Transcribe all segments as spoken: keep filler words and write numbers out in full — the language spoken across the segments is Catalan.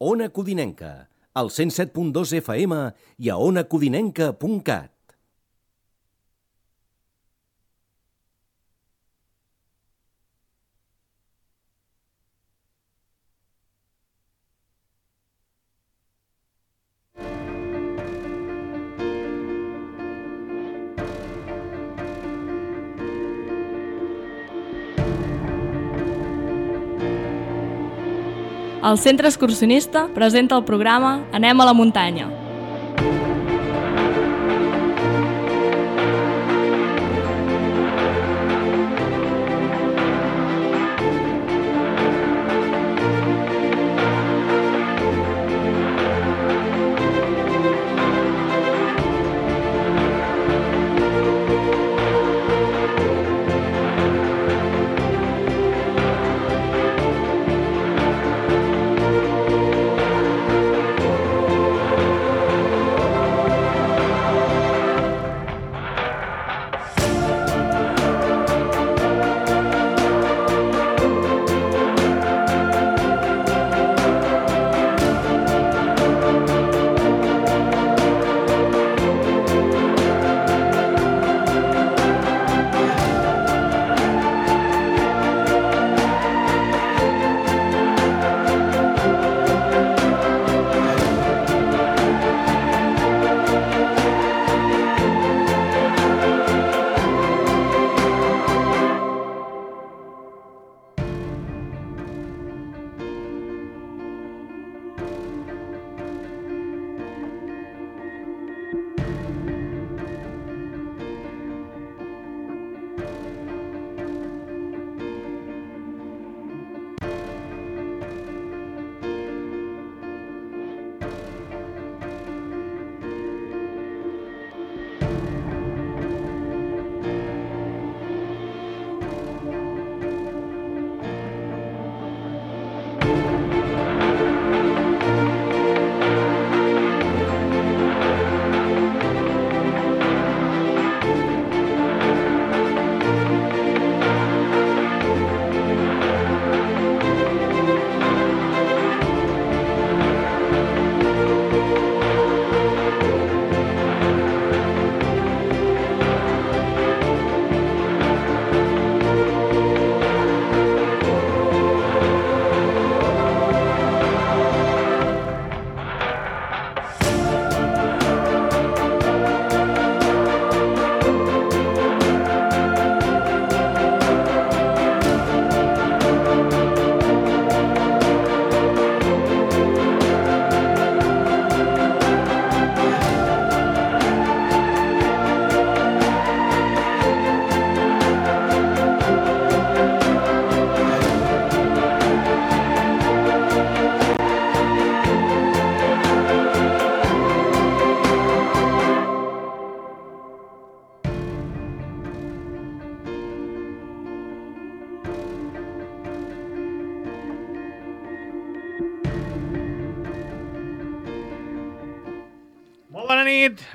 Ona Codinenca, al cent set punt dos F M i a ona codinenca punt cat. El Centre Excursionista presenta el programa Anem a la muntanya.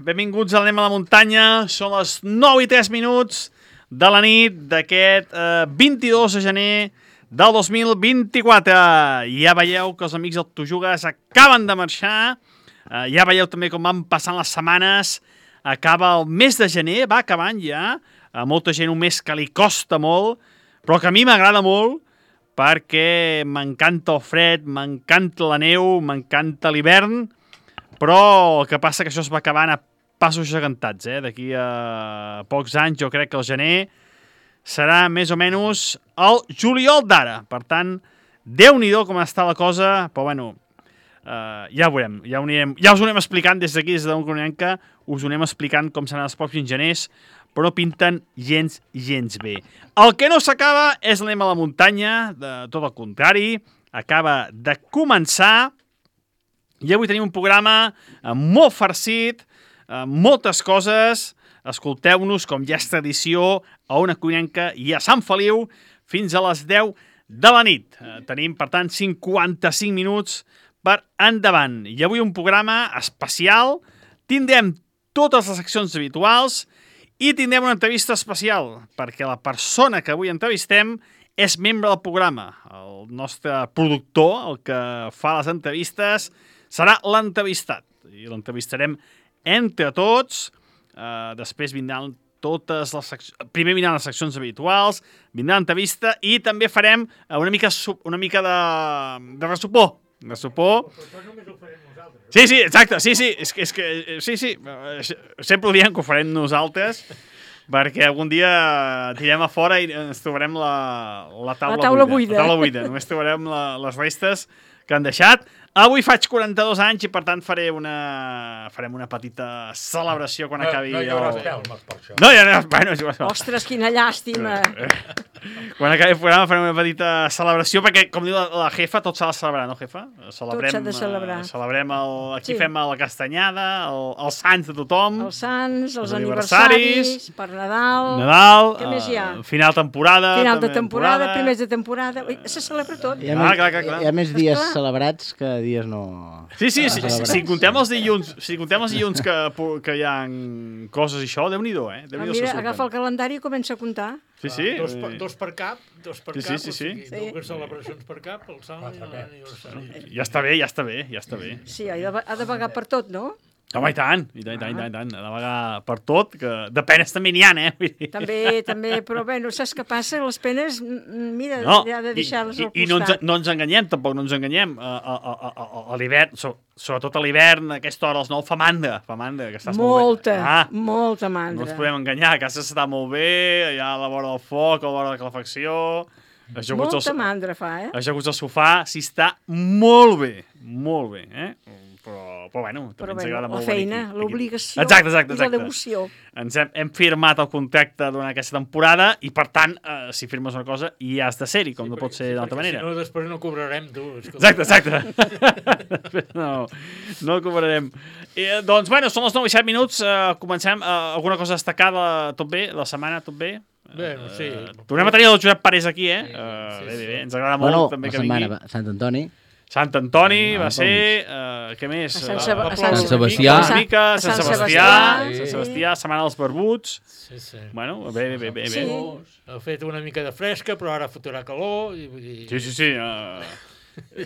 Benvinguts al Anem a la muntanya. Són les nou i tres minuts de la nit d'aquest eh, vint-i-dos de gener del dos mil vint-i-quatre. Ja veieu que els amics del Tujugues acaben de marxar. Eh, ja veieu també com van passant les setmanes. Acaba el mes de gener, va acabant ja. A molta gent un mes que li costa molt, però que a mi m'agrada molt perquè m'encanta el fred, m'encanta la neu, m'encanta l'hivern. Però el que passa que això es va acabant a passos gegantats, eh? D'aquí a pocs anys jo crec que el gener serà més o menys el juliol d'ara. Per tant, Déu-n'hi-do com està la cosa, però bueno, eh, ja ho veurem, ja, ho anirem, ja us ho anem explicant des d'aquí, des d'Ona Codinenca, us ho anem explicant com seran els pròxims geners, però no pinten gens, gens bé. El que no s'acaba és l'Anem a la muntanya, de tot el contrari, acaba de començar. I avui tenim un programa molt farcit, moltes coses. Escolteu-nos, com ja és tradició, a Ona Codinenca i a Sant Feliu fins a les deu de la nit. Tenim, per tant, cinquanta-cinc minuts per endavant. I avui un programa especial. Tindrem totes les seccions habituals i tindrem una entrevista especial, perquè la persona que avui entrevistem és membre del programa. El nostre productor, el que fa les entrevistes, serà l'entrevistat. I l'entrevistarem entre tots. Uh, després vindran totes les seccions... Primer vindran les seccions habituals, vindrà l'entrevista i també farem una mica, una mica de, de ressupor. De sopor. Sí, sí, exacte. Sí, sí, és que, és que, sí, sí. Sempre ho diem que ho farem nosaltres, perquè algun dia tirem a fora i ens trobarem la, la taula, la taula buida. buida. La taula buida. Només trobarem la, les restes que han deixat. Avui faig quaranta-dos anys i, per tant, faré una, farem una petita celebració quan acabi... No, no hi haurà espelmes per això. No hi haurà... Bueno, ostres, quina llàstima. Quan acabi el programa farem una petita celebració, perquè, com diu la, la jefa, tot s'ha de celebrar, no, jefa? Celebrem, tot s'ha de celebrar. Uh, celebrem el... Aquí sí. fem la castanyada, el, els sants de tothom. Els sants, els, els aniversaris, aniversaris, per Nadal... Nadal, què més hi ha? Uh, final temporada... Final de temporada, temporada, primers de temporada... Ui, se celebra tot. Hi ha, ah, més, clar, clar, clar. Hi ha més dies Esclar. celebrats que dies no... Sí, sí, sí, sí, si contem els dilluns, si contem els dilluns que, que hi ha coses i això, Déu-n'hi-do, eh? Déu ah, mira, agafa el calendari i comença a comptar. Sí, sí. Ah, dos, per, dos per cap, dos per sí, cap, sí, sí, sí. o sigui, dues celebracions per cap, el sant i l'aniversari. Ja està bé, ja està bé, ja està bé. Sí, ha de, ha de pagar per tot, no? Home, i tant, i tant, i tant, i tant, ha de pagar per tot, que de penes també n'hi ha, eh? També, també, però bé, no saps què passa? Les penes, mira, no, ja de deixar-les al costat. I no ens, no ens enganyem, tampoc no ens enganyem. A, a, a, a, a l'hivern, so, sobretot a l'hivern, a aquesta hora, als nou, fa mandra, fa mandra, que estàs molta, molt bé. Ah, molta mandra. No ens podem enganyar, a casa s'està molt bé, allà a la vora del foc, a la vora de la calefacció... Molta al, mandra fa, eh? Ajaguts al sofà, s'hi està molt bé, molt bé, eh? Però, però bueno, també però ens bueno, agrada molt la feina, l'obligació exacte, exacte, i exacte. la devoció. Ens hem, hem firmat el contracte durant aquesta temporada i, per tant, eh, si firmes una cosa, hi has de ser-hi, com sí, no pot ser sí, d'altra manera. Si no, després no cobrarem, tu. Escolta. Exacte, exacte. no, no cobrarem. I, doncs, bueno, són els nou i set minuts, eh, comencem. Eh, alguna cosa destacada, tot bé? La setmana, tot bé? Bé, no sé. Uh, tornem a tenir el Josep Parés aquí, eh? Uh, sí, bé, bé, bé. Ens agrada bueno, molt també que vingui. Setmana, Sant Antoni. Sant Antoni va ser... Uh, què més? A Sant, Seba uh, a Sant, Sant Sebastià. Sant, Mica, Sant, Sant Sebastià. Sí. Sant Sebastià, Setmana dels Barbuts. Sí, sí. Bueno, bé, bé, bé. bé, sí. bé. Ha fet una mica de fresca, però ara fotrà calor. I, i... Sí, sí, sí. Uh,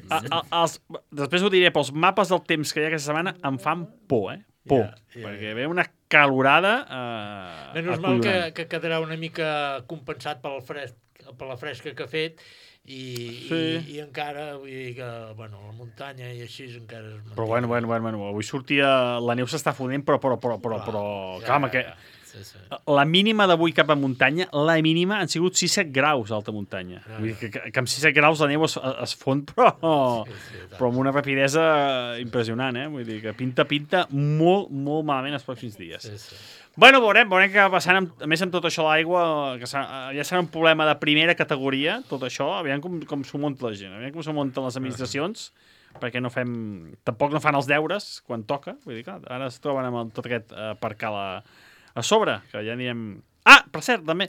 a, a, els, després ho diré, però els mapes del temps que hi ha aquesta setmana em fan por, eh? Por. Yeah, yeah. Perquè ve una calorada... Uh, Menys mal que, que quedarà una mica compensat pel fresc, per la fresca que ha fet i, sí. i, i encara, vull dir que, bueno, la muntanya i així encara es manté. Però bueno, bueno, bueno, bueno, avui sortia... La neu s'està fonent, però, però, però, però, però... Ja, clar, home, que... Sí, sí. La mínima d'avui cap a muntanya, la mínima han sigut sis set graus d'alta muntanya. Ah. Vull dir que, que, que amb sis set graus la neu es, es fon, però, sí, sí, però amb una rapidesa impressionant, eh? Vull dir que pinta, pinta molt, molt malament els pròxims dies. Sí, sí. Bueno, veurem, veurem què va passant, amb, a més amb tot això l'aigua, que ja serà un problema de primera categoria, tot això, aviam com, com s'ho munta la gent, aviam com s'ho munten les administracions, uh-huh. perquè no fem, tampoc no fan els deures quan toca, vull dir, clar, ara es troben amb el, tot aquest eh, aparcar la, a sobre, que ja anirem... Ah, per cert, també,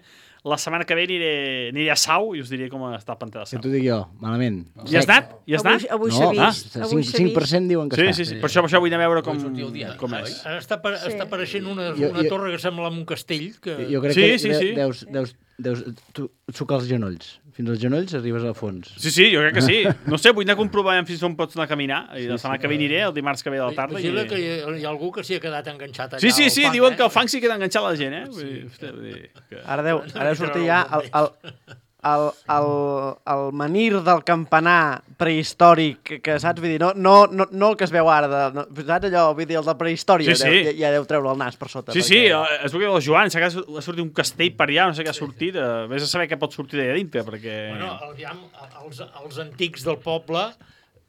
la setmana que ve aniré, aniré a Sau i us diré com està el pantà de Sau. Que t'ho dic jo, malament. I has anat? I has anat? Avui, avui no, s'ha vist. Ah, cinc, cinc per cent diuen que sí, està. Sí, sí, sí. Per, això, per això vull anar a veure com, com és. Ara està, per, sí. està apareixent una, jo, una jo, torre que sembla un castell. Que... Jo crec sí, que sí, sí. deus, deus, deus sucar els genolls. Fins als genolls arribes al fons. Sí, sí, jo crec que sí. No sé, vull anar a comprovar fins on pots anar a caminar. I la setmana sí, sí. que ve aniré, el dimarts que ve de la tarda. Vigila i... que hi ha, hi ha algú que s'hi ha quedat enganxat allà. Sí, sí, sí, fang, diuen eh? que el fang sí queda enganxat a la gent, eh? Vull dir, hòstia, vull dir que... Ara deu, ara deu sortir ja el, el, el, el, el menhir del campanar prehistòric, que saps? Vull dir, no, no, no, no el que es veu ara, de, no, saps allò? Vull dir, el de prehistòria, sí, sí. Deu, ja, ja deu treure el nas per sota. Sí, perquè... sí, és el que diu el Joan, s'ha sortit un castell per allà, no sé què ha sortit, eh, vés a saber què pot sortir d'allà dintre, perquè... Bueno, aviam, els, els antics del poble,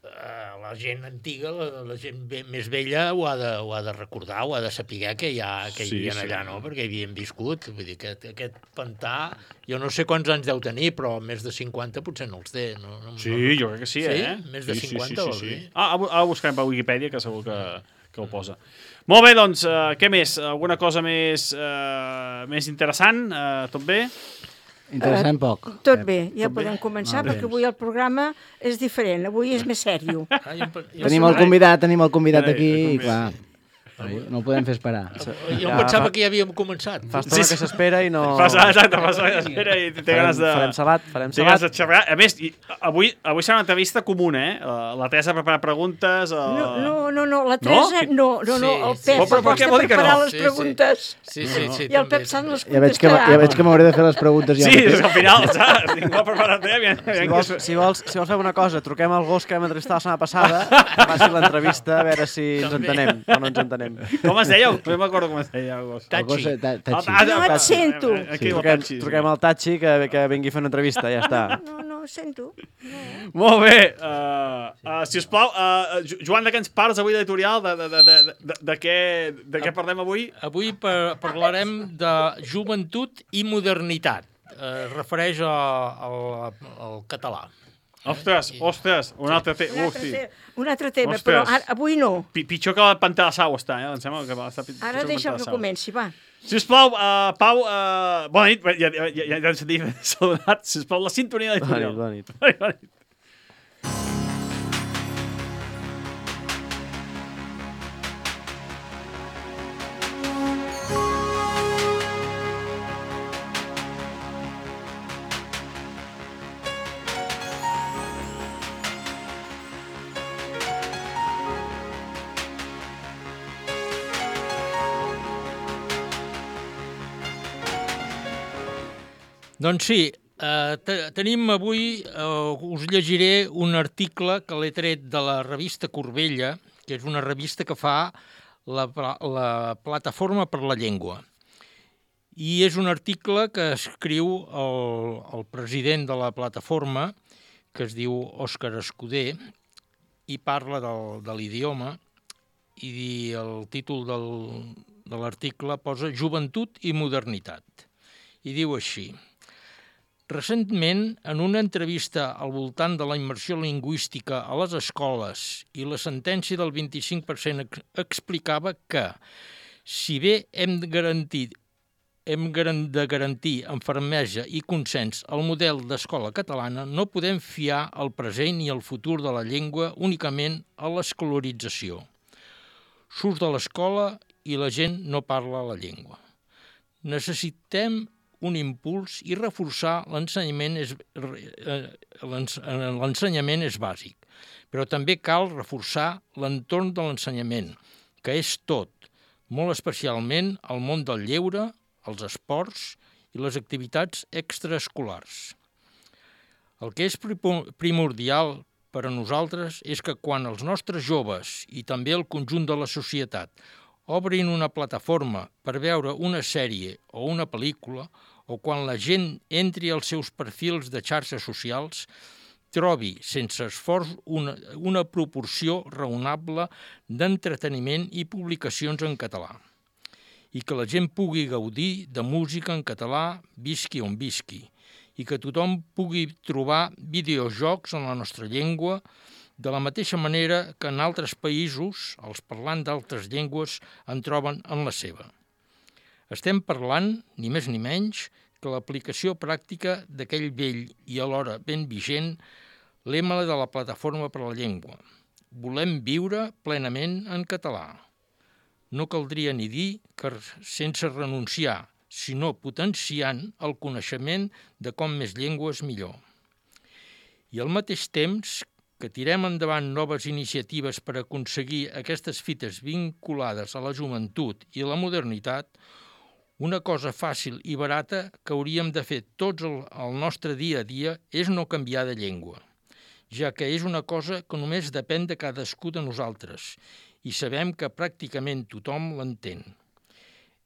eh, la gent antiga, la, la gent ve, més vella ho ha, de, ho ha de recordar, ho ha de saber que hi, ha, que hi havia sí, allà, sí. No? Perquè hi havien viscut, vull dir que aquest pantà, jo no sé quants anys deu tenir, però més de cinquanta potser no els té. No, no, sí, no... jo crec que sí, eh? Sí? Més de sí, cinquanta, sí, vol sí, sí, dir? sí. Ah, ara ho buscarem per Wikipedia, que segur que, que ho posa. Molt bé, doncs, uh, què més? Alguna cosa més, uh, més interessant? Uh, tot bé? Interessant poc. Uh, tot bé, ja tot podem bé? començar, Ah, perquè avui el programa és diferent, avui és més sèrio. Ah, jo, jo, Tenim el convidat, tenim el convidat aquí, i clar... No ho podem fer esperar. Jo em pensava que ja havíem començat. Fa estona que s'espera i no... Fas, exacte, fas espera i té ganes de... Farem salat, farem té ganes salat. de xerrar. A més, i, avui, avui serà una entrevista comuna, eh? La Teresa ha preparat preguntes... Uh... No, no, no, no, la Teresa, no, no, no, el Sí, Pep sí. Però per què aposta vol dir per que no? preparar les Sí, sí. preguntes. Sí, sí, sí. I el Pep Sant les Ja veig que, contestarà. ja veig que m'hauré de fer les preguntes ja. Sí, mateix. és que al final, saps? Ningú ha preparat eh? Aviam, Si aviam vols, qui és- si, vols, si vols fer una cosa, truquem al gos que vam entrevistar la setmana passada, que faci l'entrevista, a veure si ens També. entenem o no ens entenem. Com es deia? No m'acordo com es deia. El gos. El gos, Tachi. ta- Tachi. Ah, No et sento. Aquí el Truquem, Tachi, sí. truquem al Tachi que, que vingui a fer una entrevista, ja està. No, no, sento. Molt bé. Uh, uh, si us plau, uh, Joan, de què ens parles avui d'editorial? De, de, de, de, de, de, què, de què parlem avui? Avui par parlarem de joventut i modernitat. Eh, es refereix a, al, al català. Ostres, ostres, un altre tema. Un altre, Hosti. te un altre tema, Ostres. però ara, avui no. Pi- Pitjor que la pantà de sau està, eh? Em sembla que va estar pitjor Ara que deixa'm Pantà de que Sau. comenci, va. Sisplau, uh, Pau, uh, bona nit. Ja, ja, ja, ja ens he saludat. Sisplau, la sintonia Bona editorial. nit, bona nit. Bona nit, bona nit. Doncs sí, eh, te tenim avui, eh, us llegiré un article que l'he tret de la revista Corbella, que és una revista que fa la, la Plataforma per la Llengua. I és un article que escriu el, el president de la plataforma, que es diu Òscar Escudé, i parla del, de l'idioma, i el títol del, de l'article posa Joventut i modernitat. I diu així: recentment, en una entrevista al voltant de la immersió lingüística a les escoles i la sentència del vint-i-cinc per cent ex explicava que, si bé hem de garantir, hem de garantir amb fermesa i consens el model d'escola catalana, no podem fiar el present i el futur de la llengua únicament a l'escolarització. Surts de l'escola i la gent no parla la llengua. Necessitem un impuls i reforçar l'ensenyament és, l'ensenyament és bàsic, però també cal reforçar l'entorn de l'ensenyament, que és tot, molt especialment el món del lleure, els esports i les activitats extraescolars. El que és primordial per a nosaltres és que quan els nostres joves i també el conjunt de la societat obrin una plataforma per veure una sèrie o una pel·lícula, o quan la gent entri als seus perfils de xarxes socials, trobi, sense esforç, una, una proporció raonable d'entreteniment i publicacions en català, i que la gent pugui gaudir de música en català, visqui on visqui, i que tothom pugui trobar videojocs en la nostra llengua, de la mateixa manera que en altres països els parlants d'altres llengües en troben en la seva. Estem parlant, ni més ni menys, que l'aplicació pràctica d'aquell vell i alhora ben vigent lema de la Plataforma per la Llengua. Volem viure plenament en català. No caldria ni dir que sense renunciar, sinó potenciant el coneixement de com més llengües millor. I al mateix temps que tirem endavant noves iniciatives per aconseguir aquestes fites vinculades a la joventut i la modernitat, una cosa fàcil i barata que hauríem de fer tots el, el nostre dia a dia és no canviar de llengua, ja que és una cosa que només depèn de cadascú de nosaltres i sabem que pràcticament tothom l'entén.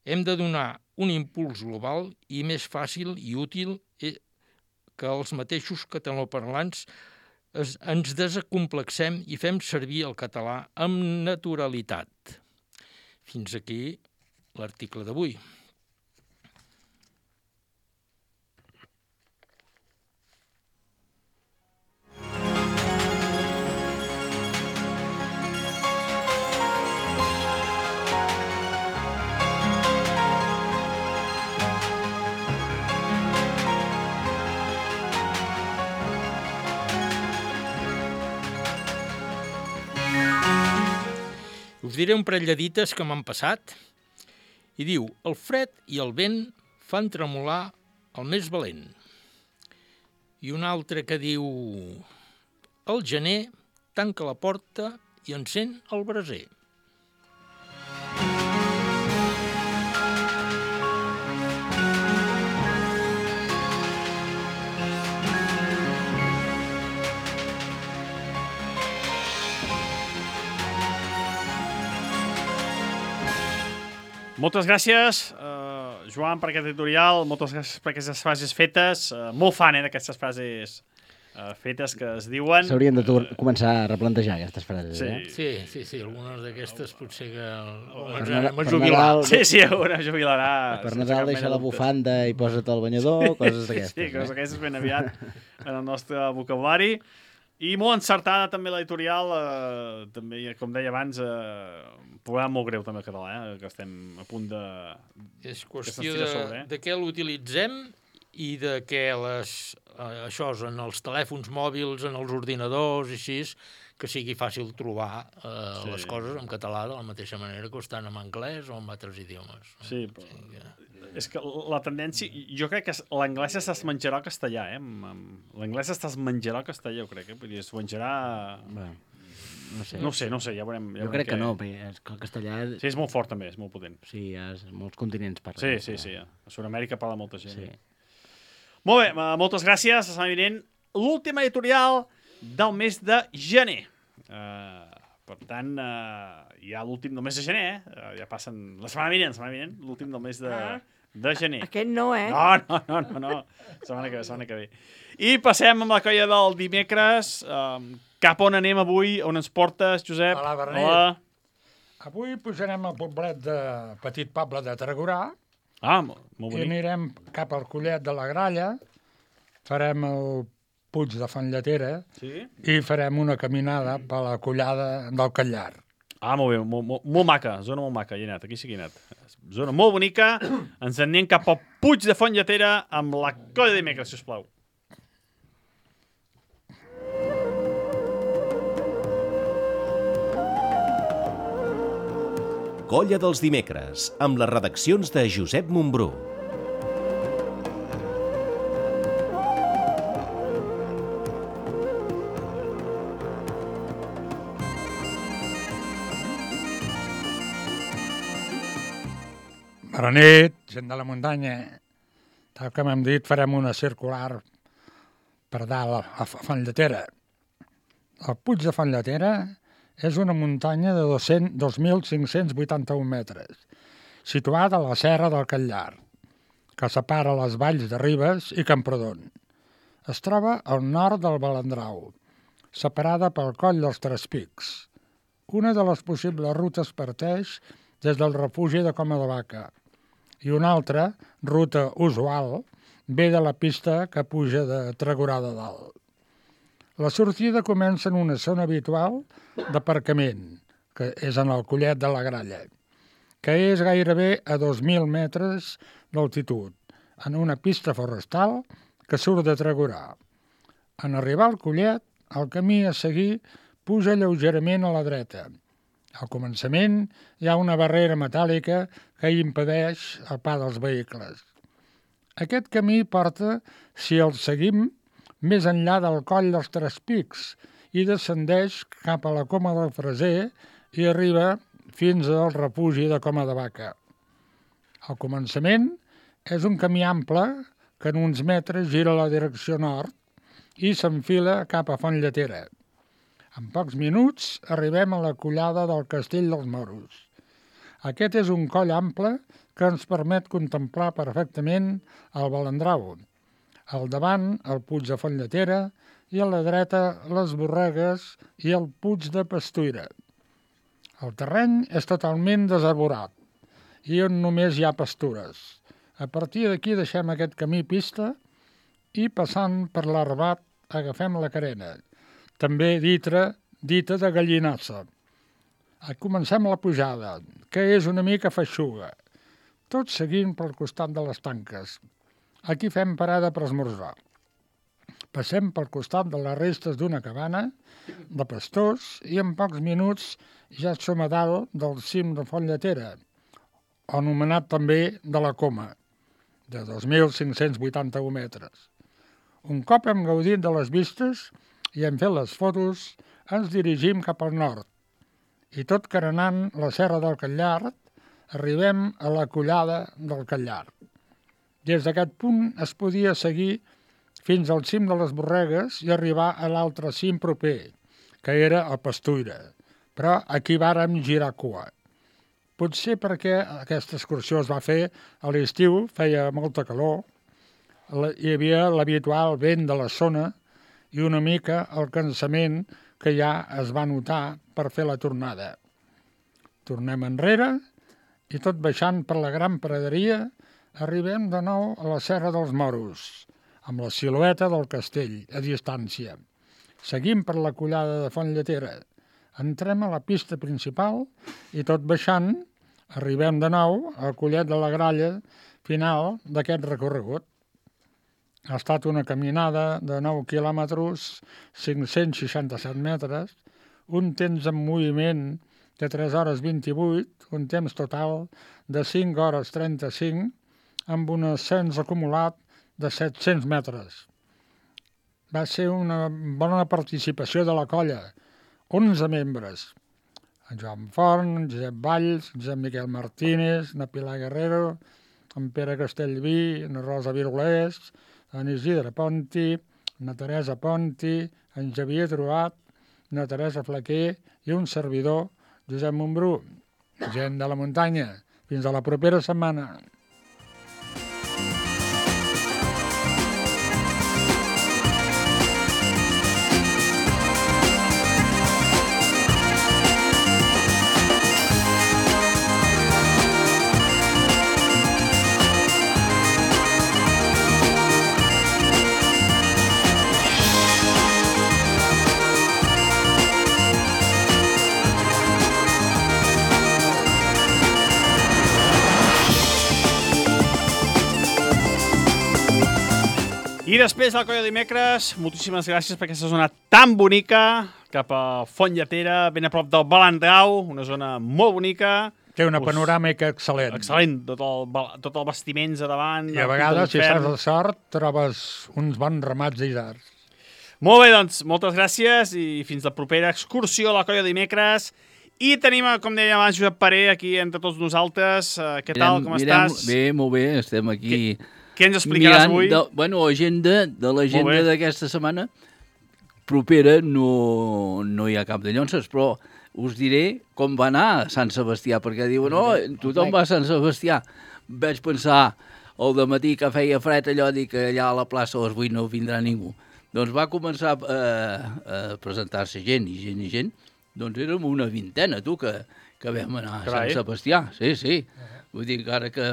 Hem de donar un impuls global i més fàcil i útil que els mateixos catalanoparlants ens desacomplexem i fem servir el català amb naturalitat. Fins aquí l'article d'avui. Us diré un parell de dites que m'han passat. I diu, el fred i el vent fan tremolar el més valent. I un altre que diu, el gener tanca la porta i encén el braser. Moltes gràcies, uh, Joan, per aquest editorial, moltes gràcies per aquestes frases fetes. Uh, molt fan, eh, d'aquestes frases uh, fetes que es diuen. S'haurien de uh, començar a replantejar aquestes frases, sí. eh? Sí, sí, sí, algunes d'aquesdes potser que Per, m'ha per jubilat. Nadal, Sí, sí, una jubilarà. per sense Nadal cap deixa mena la de dubtes. bufanda i posa't el banyador, coses d'aquestes. Sí, coses eh? d'aquestes ben aviat en el nostre vocabulari. I molt encertada també l'editorial, eh, també, com deia abans, eh, un programa molt greu també el català, eh, que estem a punt de... És que qüestió se'ns de, tira a sobre, eh? de què l'utilitzem i de què les, eh, això és en els telèfons mòbils, en els ordinadors i així, que sigui fàcil trobar eh, Sí. les coses en català de la mateixa manera que ho estan en anglès o en altres idiomes. Sí, O però... sigui que... És que la tendència... Jo crec que l'anglès es menjarà el castellà, eh? L'anglès es menjarà el castellà, jo crec, eh? Vull dir, es menjarà... Bé, no sé. No ho sé, no ho sé, ja veurem. Ja Jo veurem crec que què- no, perquè és que el castellà... Sí, és molt fort també, és molt potent. Sí, hi ha molts continents parlen. Sí, sí, sí. A Sud-amèrica parla molta gent. Sí. Molt bé, eh, moltes gràcies. La setmana vinent, l'última editorial del mes de gener. Uh, per tant, uh, ja l'últim del mes de gener, eh? Uh, ja passen... La setmana vinent, la setmana vinent, l'últim del mes de, de gener. Aquest no, eh? No, no, no, no, no. Setmana que ve, setmana que ve. I passem amb la colla del dimecres. Um, cap on anem avui? On ens portes, Josep? Hola, Bernat. Hola. Avui pujarem al poblet de Petit Poble de Tarragorà Ah, molt, molt i bonic. anirem cap al Collet de la Gralla, farem el Puig de Fanlletera Sí? i farem una caminada per la collada del Callar. Ah, molt bé, molt, molt, molt maca, zona molt maca, hi he anat, aquí sí que he anat. Zona molt bonica, ens en anem cap al Puig de Fontlletera amb la colla de dimecres, sisplau. Colla dels dimecres, amb les redaccions de Josep Montbrú. Bona nit, gent de la muntanya. Tal com hem dit, farem una circular per dalt a Fanlletera. El Puig de Fanlletera és una muntanya de dos mil cinc-cents vuitanta-un metres, situada a la serra del Callar, que separa les valls de Ribes i Camprodon. Es troba al nord del Balandrau, separada pel Coll dels Tres Pics. Una de les possibles rutes parteix des del refugi de Coma de Vaca i una altra, ruta usual, ve de la pista que puja de Tragorà de Dalt. La sortida comença en una zona habitual d'aparcament, que és en el Collet de la Gralla, que és gairebé a dos mil metres d'altitud, en una pista forestal que surt de Tragorà. En arribar al Collet, el camí a seguir puja lleugerament a la dreta. Al començament hi ha una barrera metàl·lica que impedeix el pas dels vehicles. Aquest camí porta, si el seguim, més enllà del Coll dels Tres Pics i descendeix cap a la Coma del Freser i arriba fins al refugi de Coma de Vaca. Al començament és un camí ample que en uns metres gira a la direcció nord i s'enfila cap a Fontlletera. En pocs minuts arribem a la collada del Castell dels Moros. Aquest és un coll ample que ens permet contemplar perfectament el Balandrau. Al davant, el Puig de Fontlletera i a la dreta, les Borregues i el Puig de Pastuira. El terreny és totalment desarborat i on només hi ha pastures. A partir d'aquí deixem aquest camí pista i passant per l'Arbat agafem la carena, també dita, dita de Gallinassa. Comencem la pujada, que és una mica feixuga, tot seguint pel costat de les tanques. Aquí fem parada per esmorzar. Passem pel costat de les restes d'una cabana de pastors i en pocs minuts ja som a dalt del cim de Font Lletera, anomenat també de la Coma, de dos mil cinc-cents vuitanta-u metres. Un cop hem gaudit de les vistes i hem fet les fotos, ens dirigim cap al nord. I tot carenant la serra del Catllart, arribem a la collada del Catllart. Des d'aquest punt es podia seguir fins al cim de les Borregues i arribar a l'altre cim proper, que era el Pastuira, però aquí vàrem girar cua. Potser perquè aquesta excursió es va fer a l'estiu, feia molta calor, hi havia l'habitual vent de la zona i una mica el cansament que ja es va notar per fer la tornada. Tornem enrere i tot baixant per la gran praderia arribem de nou a la Serra dels Moros, amb la silueta del castell a distància. Seguim per la collada de Font Lletera, entrem a la pista principal i tot baixant arribem de nou al Collet de la Gralla final d'aquest recorregut. Ha estat una caminada de nou quilòmetres, cinc-cents seixanta-set metres, un temps en moviment de tres hores vint-i-vuit, un temps total de cinc hores trenta-cinc, amb un ascens acumulat de set-cents metres. Va ser una bona participació de la colla, onze membres. En Joan Forn, en Josep Valls, en Josep Miquel Martínez, en Pilar Guerrero, en Pere Castellví, en Rosa Virulés, en Isidre Ponti, en Teresa Ponti, en Xavier Truat, en Teresa Flaquer i un servidor, Josep Montbrú. Gent de la muntanya. Fins a la propera setmana. I després del Colla Dimecres, moltíssimes gràcies per aquesta zona tan bonica, cap a Font Lletera, ben a prop del Balandrau, una zona molt bonica. Té una panoràmica excel·lent. Excel·lent, tot el, tot el vestiments a davant. I a vegades, si estàs al sort, trobes uns bons ramats d'isards. Molt bé, doncs, moltes gràcies i fins la propera excursió a la Colla Dimecres. I tenim, com deia abans, Josep Paré, aquí entre tots nosaltres. Uh, què tal, com mirem, estàs? Bé, molt bé, estem aquí... Què, què ens explicaràs avui? De, bueno, agenda, de l'agenda d'aquesta setmana propera no, no hi ha cap de llonces, però us diré com va anar a Sant Sebastià, perquè diuen, no, tothom va a Sant Sebastià. Vaig pensar al dematí que feia fred allò, dir que allà a la plaça a les vuit no vindrà ningú. Doncs va començar a, a presentar-se gent i gent i gent. Doncs érem una vintena, tu, que, que vam anar a Sant Sebastià. Sí, sí. Vull dir que ara que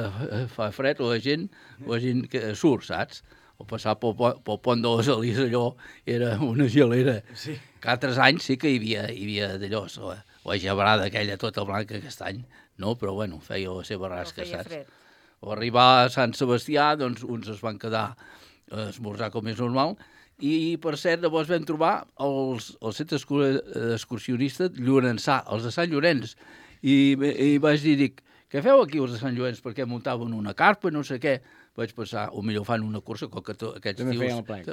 fa fred la gent, la gent que surt, saps? O passar pel, pel pont de les Alies allò era una gelera. Sí. Que altres anys sí que hi havia, hi havia d'allò, la, la gebrada aquella tota blanca aquest any, no? Però bueno, feia la seva rasca, no saps? O arribar a Sant Sebastià, doncs uns es van quedar a esmorzar com és normal, i per cert llavors vam trobar els, el centre excursionista Llorençà, els de Sant Llorenç, i, i vaig dir, dic, què feu aquí els de Sant Llorenç? Perquè muntaven una carpa, no sé què. Vaig pensar, o millor fan una cursa, com que aquests També tios... feien el plec.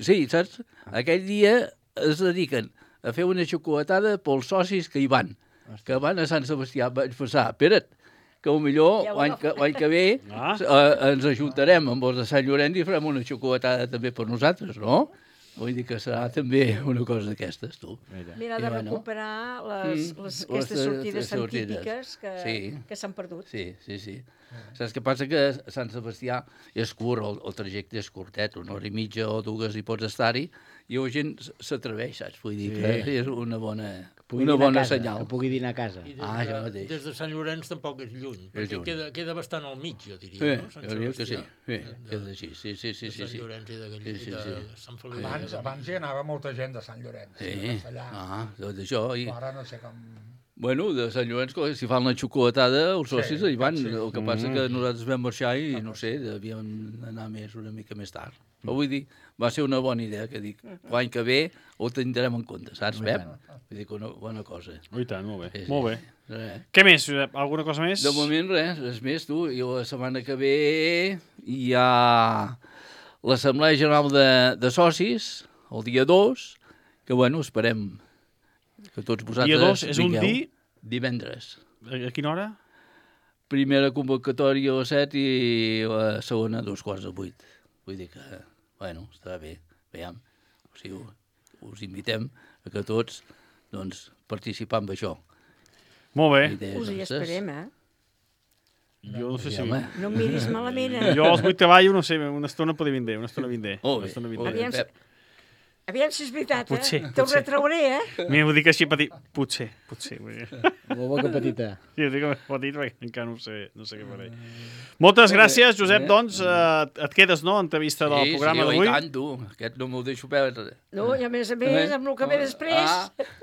Sí, saps? Aquell dia es dediquen a fer una xocolatada pels socis que hi van, que van a Sant Sebastià. Vaig pensar, espera't, que millor l'any que, l'any que ve ah. eh, ens ajuntarem amb els de Sant Llorenç i farem una xocolatada també per nosaltres, no? Vull dir que serà també una cosa d'aquestes, tu. Mira, de recuperar les, les, aquestes sortides tan típiques que, sí. que s'han perdut. Sí, sí, sí. Saps què passa? Que a Sant Sebastià és curt, el, el trajecte és curtet, una hora i mitja o dues hi pots estar-hi, i la gent s'atreveix, saps? Vull dir sí. que és una bona, una bona casa, senyal. Que pugui dinar a casa. I des, ah, de, mateix. des de Sant Llorenç tampoc és lluny, és perquè lluny. Queda, queda bastant al mig, jo diria, sí, no? Sant jo diria que sí, sí, de, queda així, sí, sí, sí. De Sant sí, Llorenç i de, Gall... sí, sí, sí. de Sant Feliu. Abans, abans hi anava molta gent de Sant Llorenç. Sí, ah, tot això. I... Ara no sé com... Bueno, de Sant Llorenç, si fan la xocolatada, els socis sí, hi van. Sí. El que passa que nosaltres vam marxar i, no sé, devíem anar més una mica més tard. Però vull dir, va ser una bona idea, que dic, l'any que ve ho tindrem en compte, saps, Pep? Vull dir que una bona cosa. Ui, tant, molt bé. Sí, sí. Molt bé. Res. Què més, Josep? Alguna cosa més? De moment res, res més, tu. I la setmana que ve hi ha l'Assemblea General de, de Socis, el dia dos, que, bueno, esperem que tots vosaltres dia dos és vingueu. Un di... Divendres. A quina hora? Primera convocatòria a les set i la segona a dos quarts de vuit. Vull dir que, bueno, està bé. Veiem. O sigui, us invitem a que tots, doncs, participem en això. Molt bé. Us hi esperem, eh? Jo no sé si... No em miris malament, eh? Jo als vuit treballo, no sé, una estona podria vindre, una estona vindre. Molt bé. Aviam, aviam si és veritat, eh? Potser, Te'l retrauré, eh? Mira, ho dic així petit. Potser, potser. La boca petita. Sí, ho dic petit perquè encara no sé, no sé què faré. Moltes gràcies, Josep, doncs. Eh, et quedes, no?, entrevista del sí, programa sí, d'avui. Sí, i tant, tu. Aquest no m'ho deixo perdre. No, i a més a més, amb el que ve després...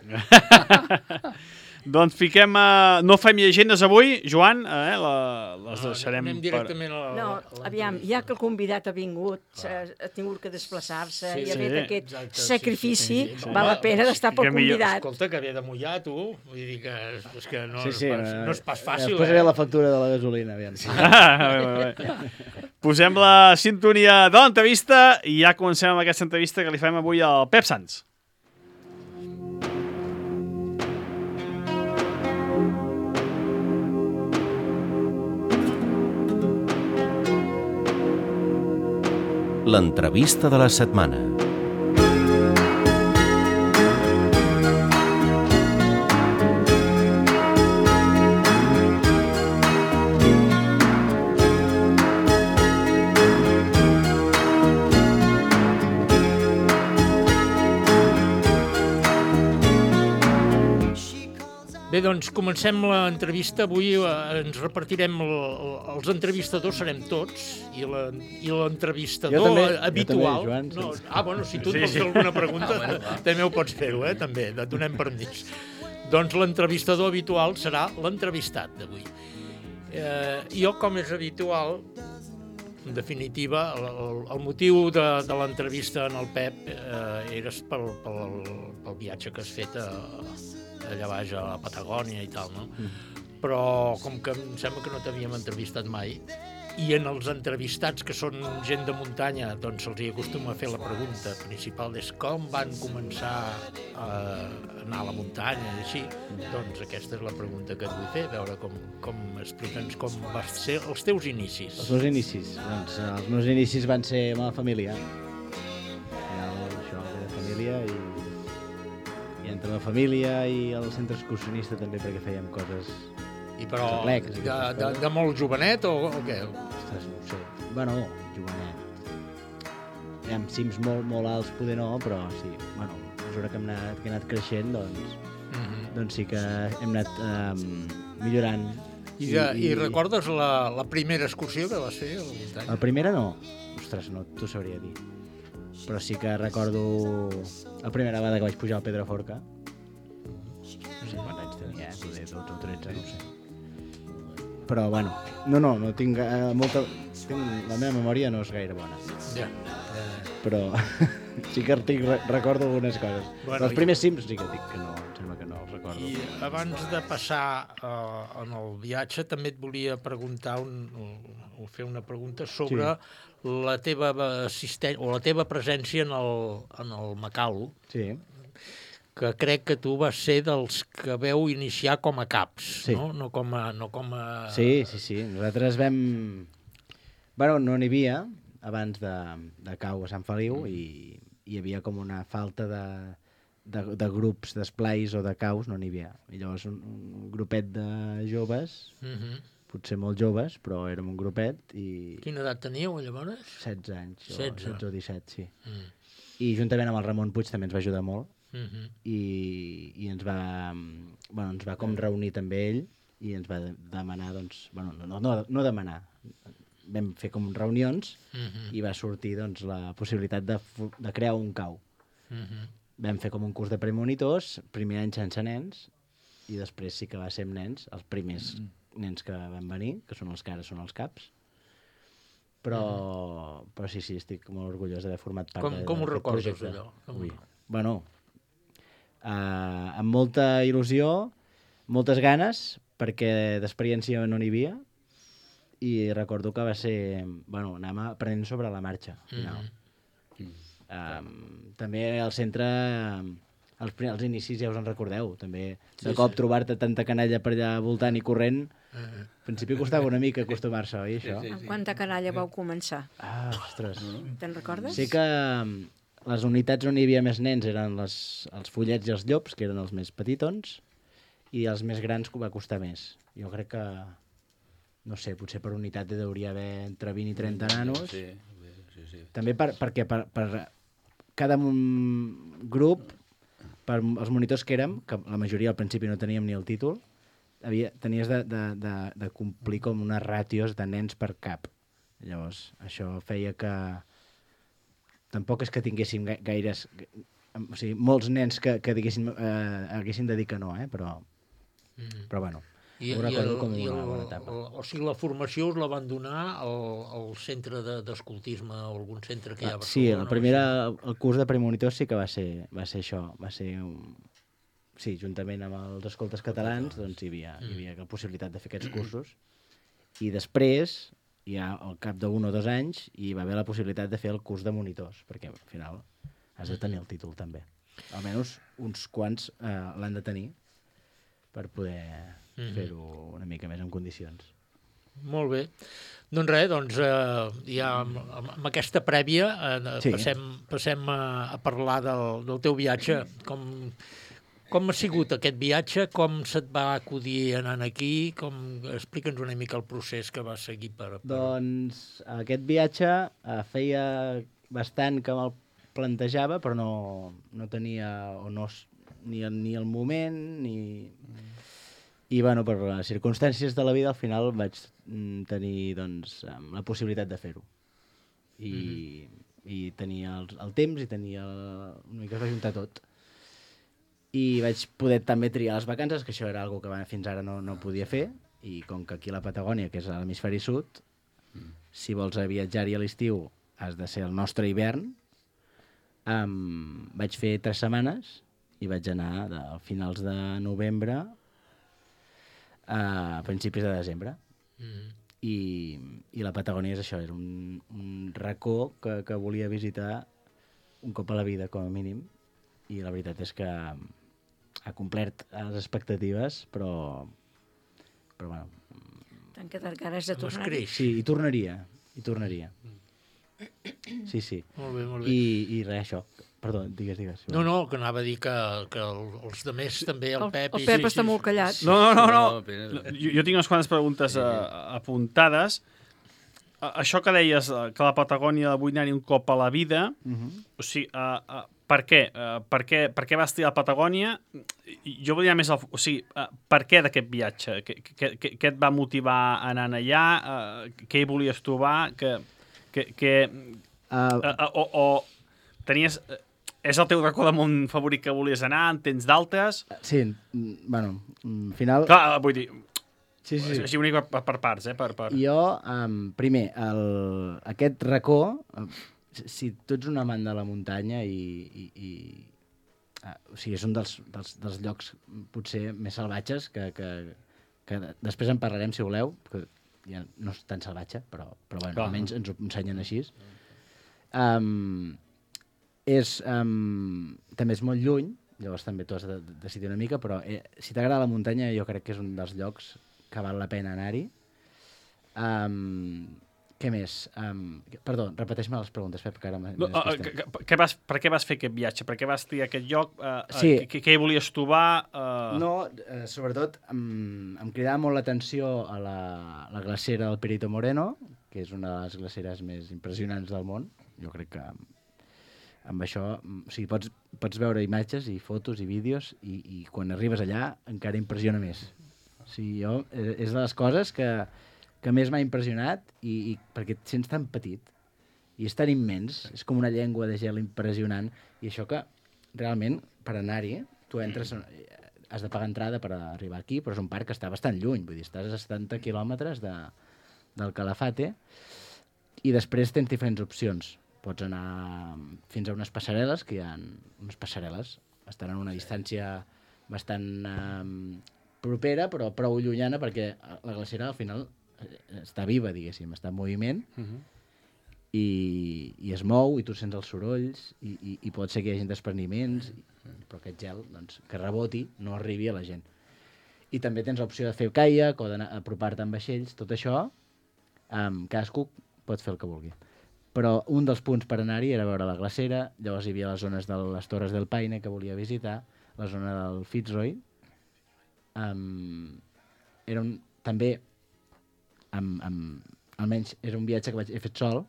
Ah. Doncs fiquem... A... No fem llegendes avui, Joan, eh? La, les deixarem... Anem directament a la... No, aviam, ja que el convidat ha vingut, ha tingut que desplaçar-se sí, i ha sí, fet aquest exacte, sacrifici, sí, sí, sí. val la pena d'estar pel convidat. Escolta, que ve de mullar, tu. Vull dir que, és que no, sí, sí, no, és, no és pas fàcil. Ja posaré eh? la factura de la gasolina, aviam. Sí. Ah, bé, bé. Posem la sintonia de l'entrevista i ja comencem amb aquesta entrevista que li fem avui al Pep Sans. L'entrevista de la setmana. Bé, doncs comencem l'entrevista. Avui ens repartirem, el, el, els entrevistadors serem tots, i l'entrevistador també, habitual... També, Joan, no, ah, bueno, si tu et vols fer alguna pregunta, ah, bueno, també ho pots fer-ho, eh, també, et donem permís. Doncs l'entrevistador habitual serà l'entrevistat d'avui. Eh, jo, com és habitual, en definitiva, el, el motiu de, de l'entrevista en el Pep eh, era pel, pel, pel viatge que has fet a... allà baix a la Patagònia i tal, no? Mm. Però com que em sembla que no t'havíem entrevistat mai, i en els entrevistats que són gent de muntanya, doncs se'ls hi acostuma a fer la pregunta principal és com van començar a anar a la muntanya i així, doncs aquesta és la pregunta que et vull fer, veure com, com explica'ns com van ser els teus inicis. Els meus inicis? Doncs els meus inicis van ser amb la família. Això, de família i... entre la família i el centre excursionista també, perquè fèiem coses... I però atlecs, de, de, de molt jovenet o, o què? Ostres, no ho sé. Bueno, jovenet. Hi ha cims molt, molt alts, poder no, però sí. Bueno, a mesura que hem anat, que he anat creixent, doncs, mm-hmm. doncs sí que hem anat um, millorant. I, de, i, i recordes la, la primera excursió que vas fer a la muntanya? La primera no. Ostres, no t'ho sabria dir. Però sí que recordo la primera vegada que vaig pujar al Pedraforca. No sé quants anys tenia, eh? Poder dotze o tretze, no sé. Però, bueno, no, no, no tinc eh, molta... Tinc... La meva memòria no és gaire bona. Ja. Yeah. Però sí que tinc, recordo algunes coses. Bueno, els primers cims sí que dic que no, em sembla que no els recordo. I abans de passar uh, en el viatge, també et volia preguntar un, o fer una pregunta sobre... Sí. la teva assistència o la teva presència en el, en el Macau, sí. que crec que tu vas ser dels que veu iniciar com a caps, sí. no? No com a, no com a... Sí, sí, sí. Nosaltres vam... Bueno, no n'hi havia abans de, de cau a Sant Feliu mm. i hi havia com una falta de, de, de grups d'esplais o de caus, no n'hi havia. I llavors un, un grupet de joves... Mm-hmm. Potser molt joves, però érem un grupet i... Quina edat teníeu, llavors? setze anys, o setze. setze o disset, sí. Mm. I juntament amb el Ramon Puig també ens va ajudar molt mm-hmm. i, i ens va, bueno, ens va com reunir també ell i ens va demanar, doncs, bueno, no, no, no demanar, vam fer com reunions mm-hmm. i va sortir doncs, la possibilitat de, de crear un cau. Mm-hmm. Vam fer com un curs de premonitors, primer any sense nens, i després sí que va ser amb nens, els primers nens que van venir, que són els que ara són els caps. Però, mm. però sí, sí, estic molt orgullós d'haver format part com, de, com ho recordes, projecte. allò? Com... Ui. Bueno, uh, amb molta il·lusió, moltes ganes, perquè d'experiència no n'hi havia, i recordo que va ser... Bueno, anàvem aprenent sobre la marxa, al final. Mm. Um, també al centre, els, els inicis ja us en recordeu, també de sí, cop sí. trobar-te tanta canalla per allà voltant i corrent, uh -huh. al principi costava una mica acostumar-se, oi, això? Sí, sí, sí. Amb quanta canalla vau començar? Ah, ostres. Te'n recordes? Sé que les unitats on hi havia més nens eren les, els follets i els llops, que eren els més petitons, i els més grans va costar més. Jo crec que, no sé, potser per unitat hi hauria haver entre vint i trenta nanos. Sí, sí, sí. També per, perquè per, per cada grup, per els monitors que érem, que la majoria al principi no teníem ni el títol, havia, tenies de, de, de, de complir com unes ràtios de nens per cap. Llavors, això feia que... Tampoc és que tinguéssim gaires... O sigui, molts nens que, que diguéssim, eh, haguessin de dir que no, eh? però, mm. però bueno, I, ho recordo com una el, bona etapa. El, o sigui, la formació us la van donar al, al centre d'escoltisme de, o algun centre que hi ha a Barcelona? Sí, el, primera, el curs de premonitors sí que va ser, va ser això, va ser un... Sí, juntament amb els escoltes catalans, doncs hi havia, hi havia la possibilitat de fer aquests cursos. I després, ja al cap d'un o dos anys, hi va haver la possibilitat de fer el curs de monitors, perquè al final has de tenir el títol també. Almenys uns quants eh, l'han de tenir per poder mm-hmm. fer-ho una mica més en condicions. Molt bé. Doncs res, doncs, eh, ja amb, amb aquesta prèvia eh, sí. passem, passem a, a parlar del, del teu viatge. Com... Com ha sigut aquest viatge? Com se't va acudir anant aquí? Com... Explica'ns una mica el procés que vas seguir per... per... Doncs aquest viatge eh, feia bastant que me'l plantejava, però no, no tenia o no, ni, el, ni el moment, ni... Mm. I bueno, per les circumstàncies de la vida al final vaig tenir doncs, la possibilitat de fer-ho. I, mm-hmm. i tenia el, el temps i tenia... El... una mica es va juntar tot. I vaig poder també triar les vacances, que això era una cosa que fins ara no, no podia fer, i com que aquí a la Patagònia, que és a l'hemisferi sud, mm. si vols viatjar-hi a l'estiu has de ser el nostre hivern, um, vaig fer tres setmanes i vaig anar de finals de novembre a principis de desembre. Mm. I, i la Patagònia és això, era un, un racó que, que volia visitar un cop a la vida, com a mínim, i la veritat és que ha complert les expectatives, però, però bueno... T'han quedat ganes de tornar. Sí, hi tornaria, hi tornaria. Sí, sí. Molt bé, molt bé. I, i res, això. Perdó, digues, digues. No, no, que anava a dir que, que els de més també, el, el Pep... El Pep sí, està sí, molt callat. No, no, no, no. no. Jo, jo tinc unes quantes preguntes sí. uh, apuntades. Uh, això que deies, uh, que la Patagònia vull anar-hi un cop a la vida, uh-huh. o sigui, uh, uh, per què? Uh, per què? Per què vas triar la Patagònia? Jo volia més... El, o sigui, uh, per què d'aquest viatge? Què, què, què et va motivar anant allà? Uh, què hi volies trobar? Que, que, que, uh, uh, uh, o, o tenies... Uh, és el teu racó de món favorit que volies anar? En tens d'altres? Sí, bueno, al final... Clar, vull dir... Sí, sí, sí. Així una mica per, per parts, eh? Per, per... Jo, um, primer, el, aquest racó... Si tu ets un amant de la muntanya i... i, i uh, o sigui, és un dels, dels, dels llocs potser més salvatges que, que, que després en parlarem, si voleu, que ja no és tan salvatge, però, però bueno, almenys ens ho ensenyen així. Um, és, um, també és molt lluny, llavors també tu has de decidir una mica, però eh, si t'agrada la muntanya jo crec que és un dels llocs que val la pena anar-hi. Um, Què més? Um, perdó, repeteix-me les preguntes, Pep, que ara m'he no, uh, que, que vas, per què vas fer aquest viatge? Per què vas triar aquest lloc? Uh, sí. uh, què, què hi volies trobar? Uh... No, uh, sobretot um, em cridava molt l'atenció a la, la glacera del Perito Moreno, que és una de les glaceres més impressionants del món. Jo crec que amb això... O sigui, pots, pots veure imatges i fotos i vídeos i, i quan arribes allà encara impressiona més. O sigui, jo, és de les coses que... que més m'ha impressionat i, i perquè et sents tan petit i és tan immens, és com una llengua de gel impressionant, i això que realment per anar-hi tu entres has de pagar entrada per arribar aquí, però és un parc que està bastant lluny, vull dir, estàs a setanta quilòmetres de, del Calafate, i després tens diferents opcions. Pots anar fins a unes passarel·les, que hi ha unes passarel·les, estan en una distància bastant eh, propera, però prou llunyana, perquè la glacera al final està viva, diguéssim, està en moviment, uh-huh. i, i es mou, i tu sents els sorolls, i, i, i pot ser que hi hagi despreniments, però aquest gel, doncs, que reboti, no arribi a la gent. I també tens l'opció de fer caiac o d'apropar-te amb vaixells, tot això, um, cadascú pot fer el que vulgui. Però un dels punts per anar-hi era veure la glacera, llavors hi havia les zones de les Torres del Paine que volia visitar, la zona del Fitzroy. Um, era un, també, amb, amb, almenys era un viatge que vaig, he fet sol,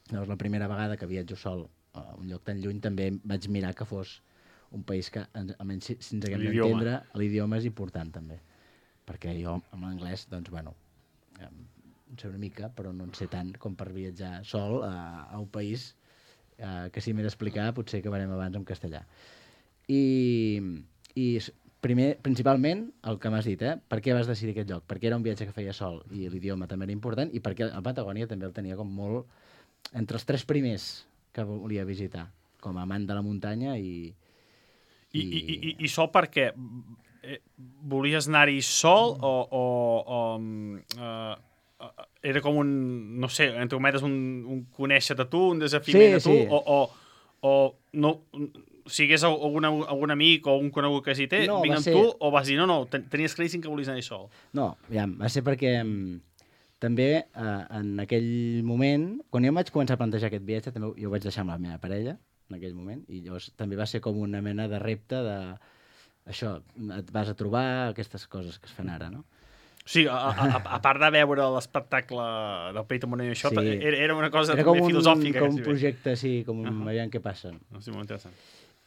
llavors la primera vegada que viatjo sol a un lloc tan lluny també vaig mirar que fos un país que, almenys si, si ens haguem d'entendre, l'idioma és important també, perquè jo amb l'anglès, doncs bueno, en sé una mica, però no en sé tant com per viatjar sol a, a un país eh, que si m'he d'explicar potser acabarem abans en castellà. I, i primer, principalment, el que m'has dit, eh? Per què vas decidir aquest lloc? Perquè era un viatge que feia sol i l'idioma també era important, i perquè a Patagònia també el tenia com molt entre els tres primers que volia visitar, com a amant de la muntanya i... I, i, i, i sol perquè eh, volies anar-hi sol o... o, o uh, era com un, no sé, entre cometes, un, un conèixer-te tu, un desafiment sí, a tu, sí. o, o, o no, si hagués algun, algun amic o un conegut que s'hi té, no, vinc amb ser... tu, o vas dir, no, no, tenies claríssim que volies anar-hi sol? No, ja, va ser perquè també eh, en aquell moment, quan jo em vaig començar a plantejar aquest viatge, també jo ho vaig deixar amb la meva parella, en aquell moment, i llavors també va ser com una mena de repte de, això, et vas a trobar aquestes coses que es fan ara, no? Sí, a, a, a part de veure l'espectacle del Perito Moreno i això, sí. era, era una cosa era també un, filosòfica. Com un projecte, sí, com un... Uh-huh. Aviam què passa. Sí, molt interessant.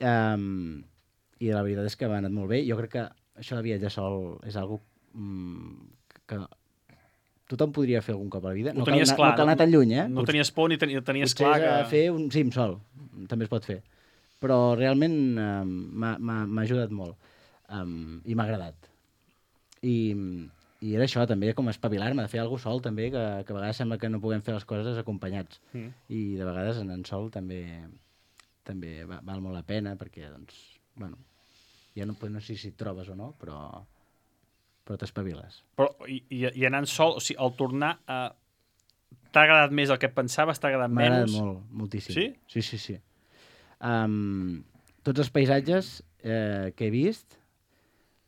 Um, I la veritat és que va anat molt bé. Jo crec que això de viatjar sol és algo um, que tothom podria fer algun cop a la vida. No cal, anar, clar, no cal anar tan lluny, eh? No tenies por ni tenies, tenies Potser clar que... fer un cim sol, també es pot fer. Però realment um, m'ha ajudat molt um, i m'ha agradat. I... I era això, també, com espavilar-me, de fer alguna cosa sol, també, que, que a vegades sembla que no puguem fer les coses acompanyats. Mm. I de vegades en en sol també també val molt la pena, perquè, doncs, bueno, ja no, no sé si et trobes o no, però, però t'espaviles. Però, i, i anant sol, o sigui, al tornar, eh, t'ha agradat més el que pensaves, t'ha agradat menys? M'ha agradat molt, moltíssim. Sí? Sí, sí, sí. Um, tots els paisatges eh, que he vist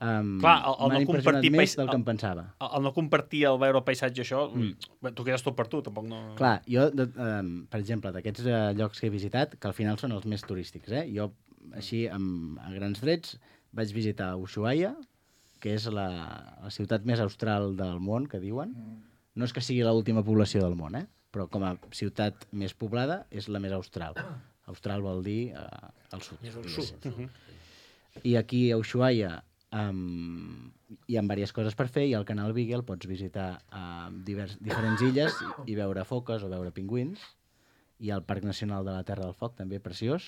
Um, clar, el, el m'han no impressionat més pais... del que em pensava. El, el no compartir, el veure el paisatge, això, mm. tu quedes tot per tu, tampoc no... Clar, jo, de, um, per exemple, d'aquests uh, llocs que he visitat, que al final són els més turístics, eh? Jo, així, amb, a grans trets, vaig visitar Ushuaia, que és la, la ciutat més austral del món, que diuen. No és que sigui l'última població del món, eh? Però com a ciutat més poblada, és la més austral. Austral vol dir uh, al sud. Més al sud. Uh -huh. I aquí a Ushuaia Um, hi ha diverses coses per fer, i al canal Beagle pots visitar uh, divers, diferents illes i, i veure foques o veure pingüins, i al Parc Nacional de la Terra del Foc, també preciós.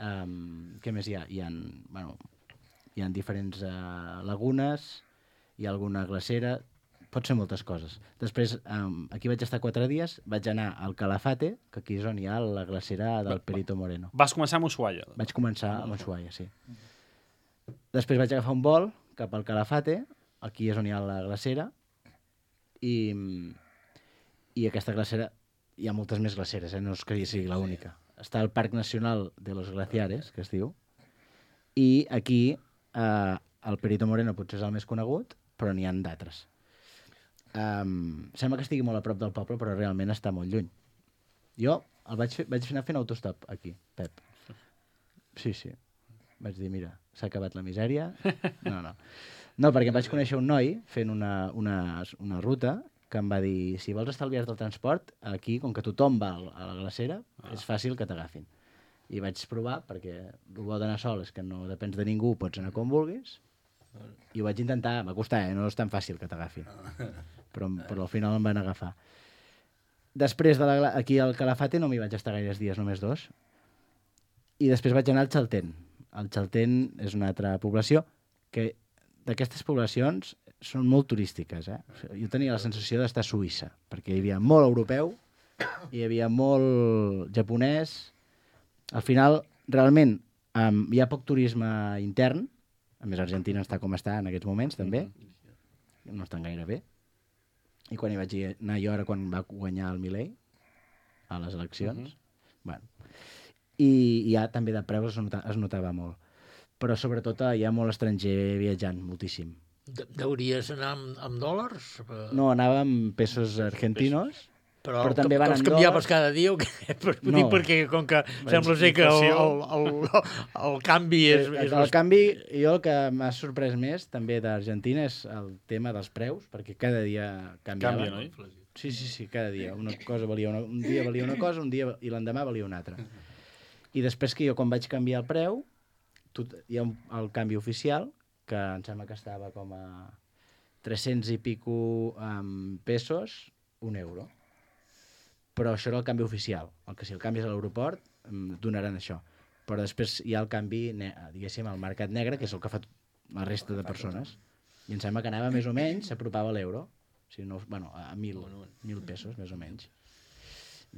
Um, què més hi ha? Hi ha, bueno, hi ha diferents uh, lagunes, hi ha alguna glacera, pot ser moltes coses. Després, um, aquí vaig estar quatre dies, vaig anar al Calafate, que aquí és on hi ha la glacera del Perito Moreno. Vas començar amb Ushuaia? Vaig començar amb Ushuaia, sí. Després vaig agafar un vol cap al Calafate, aquí és on hi ha la glacera, i, i aquesta glacera, hi ha moltes més glaceres, eh? No és que sigui l'única. Està el Parc Nacional de los Glaciares, que es diu, i aquí eh, el Perito Moreno potser és el més conegut, però n'hi ha d'altres. Um, sembla que estigui molt a prop del poble, però realment està molt lluny. Jo el vaig, fer, vaig anar fent autostop aquí, Pep. Sí, sí. Vaig dir, mira, s'ha acabat la misèria. No, no. No, perquè em vaig conèixer un noi fent una, una, una ruta que em va dir, si vols estalviar-te el transport, aquí, com que tothom va a la glacera, ah. és fàcil que t'agafin. I vaig provar, perquè el bo d'anar sol és que no depens de ningú, pots anar com vulguis, i ho vaig intentar, va costar, eh? No és tan fàcil que t'agafin. Però, però al final em van agafar. Després, de la, aquí al Calafate no m'hi vaig estar gaires dies, només dos, i després vaig anar al Chaltén. El Chaltén és una altra població que d'aquestes poblacions són molt turístiques. Eh? Jo tenia la sensació d'estar a Suïssa, perquè hi havia molt europeu, hi havia molt japonès. Al final, realment, um, hi ha poc turisme intern. A més, Argentina està com està en aquests moments, també. No estan gaire bé. I quan hi vaig anar jo, ara quan va guanyar el Milei, a les eleccions, uh-huh. bueno. I, i ja també de preus es, nota, es notava molt. Però sobretot hi ha molt estranger viatjant, moltíssim. De Deuries anar amb, amb dòlars? No, anava amb pesos argentinos, però, però també van els en canviaves dòlars. cada dia o què? No. No. Perquè com que sembla ser que el, el, el, el canvi és... El, és el canvi, jo el que m'ha sorprès més també d'Argentina és el tema dels preus, perquè cada dia canviava. Canvia, no? Sí, sí, sí, cada dia. Una cosa valia una, un dia valia una cosa, un dia i l'endemà valia una altra. I després que jo quan vaig canviar el preu, tot, hi ha un, el canvi oficial, que em sembla que estava com a tres-cents i pico um, pesos, un euro. Però això era el canvi oficial. El que si el canvis a l'aeroport, em donaran això. Però després hi ha el canvi, diguéssim, al mercat negre, que és el que fa la resta de persones. I em sembla que anava més o menys, s'apropava a l'euro. O sigui, no, bueno, a mil, mil pesos, més o menys.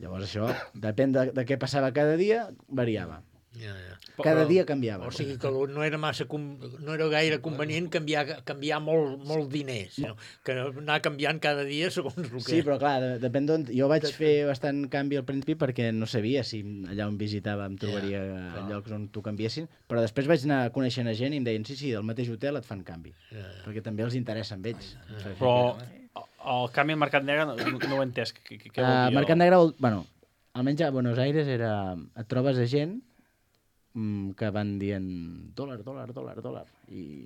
Llavors això, depèn de, de què passava cada dia, variava. Ja, ja. Cada Però, dia canviava. O sigui que no era massa no era gaire convenient canviar, canviar molt, molt diners, sinó que anar canviant cada dia segons el que... Sí, però clar, de, depèn d'on... Jo vaig fer bastant canvi al principi perquè no sabia si allà on visitava em trobaria yeah, llocs on t'ho canviessin, però després vaig anar coneixent a gent i em deien sí, sí, del mateix hotel et fan canvi, yeah, yeah. perquè també els interessa amb ells. Yeah. Però el canvi al mercat negre no, no ho he entès. Què, què vol dir? Uh, mercat negre, vol, bueno, almenys a Buenos Aires era, et trobes a gent que van dient dòlar, dòlar, dòlar, dòlar. I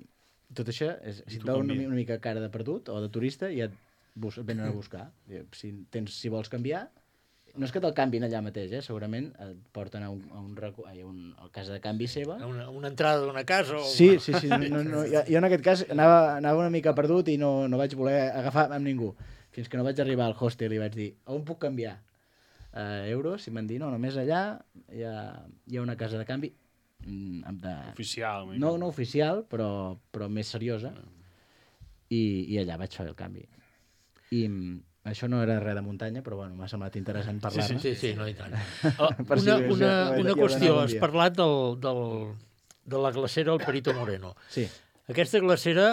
tot això, és, si et veu una, una mica cara de perdut o de turista, ja et, bus, et venen a buscar. Si, tens, si vols canviar, no és que te'l canvin allà mateix, eh? Segurament et porten a un, a un, a un a casa de canvi seva. Una, una entrada d'una casa? O... Sí, sí, sí. No, no, no, jo, jo en aquest cas anava, anava una mica perdut i no, no vaig voler agafar amb ningú. Fins que no vaig arribar al hostel i vaig dir, on puc canviar? Uh, euros, i m'han dit, no, només allà hi ha, hi ha una casa de canvi de... oficial. No, no oficial, però, però més seriosa. I, I allà vaig fer el canvi. I això no era res de muntanya, però bueno, m'ha semblat interessant parlar-ne. Sí, sí, sí, no i tant. Uh, una, una, una qüestió, has parlat del, del, de la glacera al Perito Moreno. Sí. Aquesta glacera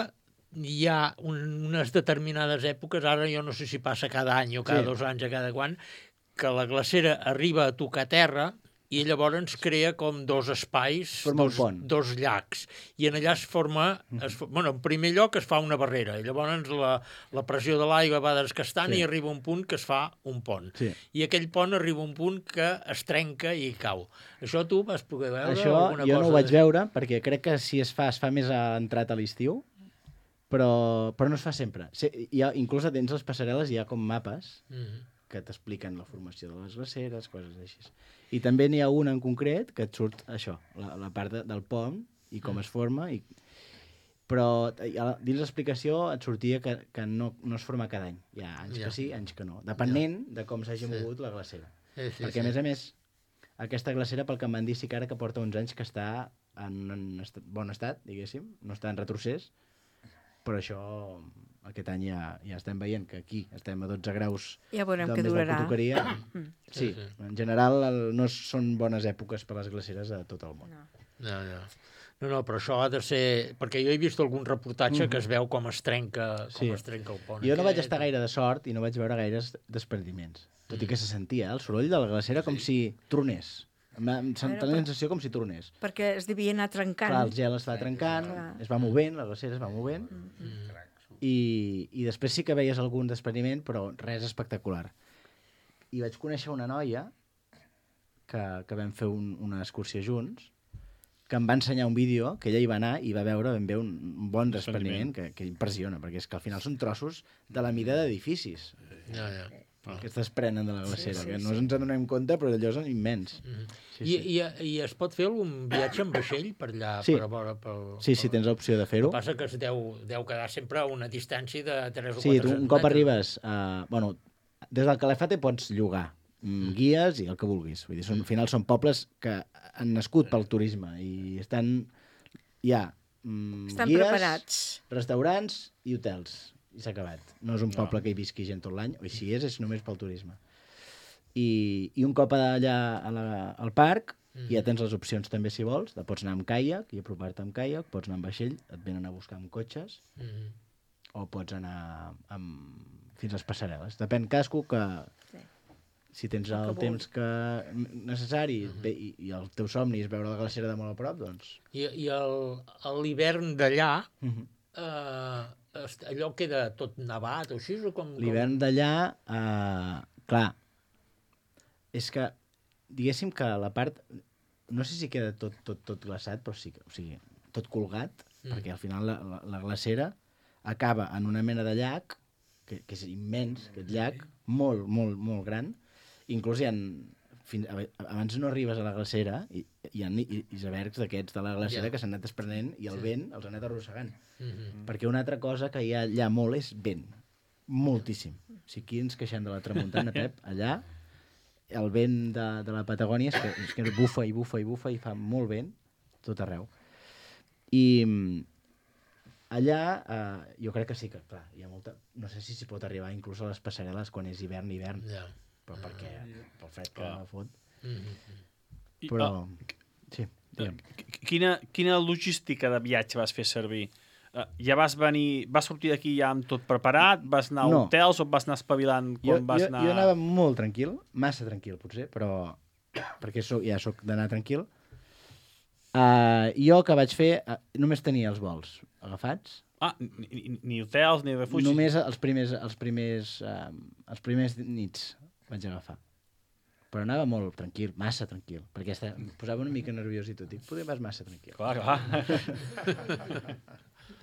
hi ha un, unes determinades èpoques, ara jo no sé si passa cada any o cada sí. dos anys o cada quan, que la glacera arriba a tocar terra i llavors crea com dos espais, dos, dos llacs. I en allà es forma, es, bueno, en primer lloc es fa una barrera, i llavors la, la pressió de l'aigua va desgastant sí. i arriba un punt que es fa un pont. Sí. I aquell pont arriba un punt que es trenca i cau. Això tu vas poder veure? Això alguna jo cosa no ho vaig de... veure, perquè crec que si es fa, es fa més entrat a l'estiu, però, però no es fa sempre. Hi ha, inclús dins les passarel·les hi ha com mapes mm-hmm. que t'expliquen la formació de les glaceres, coses així. I també n'hi ha una en concret que et surt això, la, la part de, del pont i com mm. es forma. I... Però dins l'explicació et sortia que, que no, no es forma cada any. Hi ha anys ja. que sí, anys que no. Depenent ja. de com s'hagi sí. mogut la glacera. Sí, sí, Perquè, sí. a més a més, aquesta glacera, pel que em van dir, sí que ara que porta uns anys que està en, en estat, bon estat, diguéssim, no està en retrocés, però això aquest any ja, ja estem veient que aquí estem a dotze graus ja veurem que més durarà. del que tocaria. Sí, sí, sí. En general el, no són bones èpoques per les glaceres a tot el món. No. No, no. no, no, però això ha de ser... Perquè jo he vist algun reportatge mm-hmm. que es veu com es trenca, com sí. es trenca el pont. Jo aquest. no vaig estar gaire de sort i no vaig veure gaires desprendiments. Tot mm. i que se sentia el soroll de la glacera com sí. si tronés. Em sento la sensació com si tronés. Perquè es devia anar trencant. Clar, el gel es va trencant, Clar. es va movent, la glacera es va movent, mm-hmm. i, i després sí que veies algun despreniment, però res espectacular. I vaig conèixer una noia que, que vam fer un, una excursió junts, que em va ensenyar un vídeo, que ella hi va anar i va veure ben bé un, un bon despreniment que, que impressiona, perquè és que al final són trossos de la mida d'edificis. Ja, ja. Ah. Que es desprenen de la glacera, sí, sí, que no ens en donem compte, però allò és immens. Mm-hmm. sí, I, sí. I, I es pot fer algun viatge amb vaixell per allà? Sí, per, per, per, sí, sí, tens l'opció de fer-ho. El que passa que es deu, deu quedar sempre a una distància de tres o sí, quatre tu un cop arribes, uh, bueno, des del Calafate pots llogar mm, guies i el que vulguis. Vull dir, són, al final són pobles que han nascut pel turisme i estan ja mm, Estan guies, preparats. restaurants i hotels. I s'ha acabat. No és un poble que hi visqui gent tot l'any, o si és, és només pel turisme. I, i un cop allà a la, al parc, mm. ja tens les opcions també, si vols, de pots anar amb caiac i apropar-te amb caiac, pots anar amb vaixell, et venen a buscar amb cotxes, mm. o pots anar amb, fins a les passarel·les. Depèn casco que... Sí. Si tens el, el temps que necessari mm -hmm. i, i el teu somni és veure la glacera de molt a prop, doncs... I, i l'hivern d'allà, mm -hmm. eh, allò queda tot nevat o així? Com... L'hivern d'allà, eh, clar, és que, diguéssim que la part... No sé si queda tot, tot, tot glaçat, però sí que, o sigui, tot colgat, mm. perquè al final la, la, la glacera acaba en una mena de llac, que, que és immens, aquest llac, molt, molt, molt gran. Inclús hi ha... Fins, abans no arribes a la glacera, i hi ha icebergs d'aquests de la glacera yeah. que s'han anat desprenent i el sí. vent els ha anat arrossegant. Mm -hmm. Perquè una altra cosa que hi ha allà molt és vent. Moltíssim. O sigui, aquí ens queixem de la tramuntana, Pep, allà el vent de, de la Patagònia és que, és que bufa i bufa i bufa i fa molt vent tot arreu. I allà eh, jo crec que sí que, clar, hi ha molta... No sé si s'hi pot arribar inclús a les passarel·les quan és hivern, hivern. Yeah. Però perquè, pel fred que ah. fot. Mm-hmm. Però, sí, digue'm. Quina, quina logística de viatge vas fer servir? Uh, ja vas venir, vas sortir d'aquí ja amb tot preparat? Vas anar a no. hotels o vas anar espavilant quan jo, vas jo, anar... Jo anava molt tranquil, massa tranquil potser, però perquè soc, ja sóc d'anar tranquil. Uh, jo que vaig fer, uh, només tenia els vols agafats. Ah, ni, ni hotels, ni refugis? Només els primers, els primers, uh, els primers nits vaig agafar. Però anava molt tranquil, massa tranquil, perquè esta, em posava una mica nerviós i tot. Dic, potser vas massa tranquil. Clar, clar.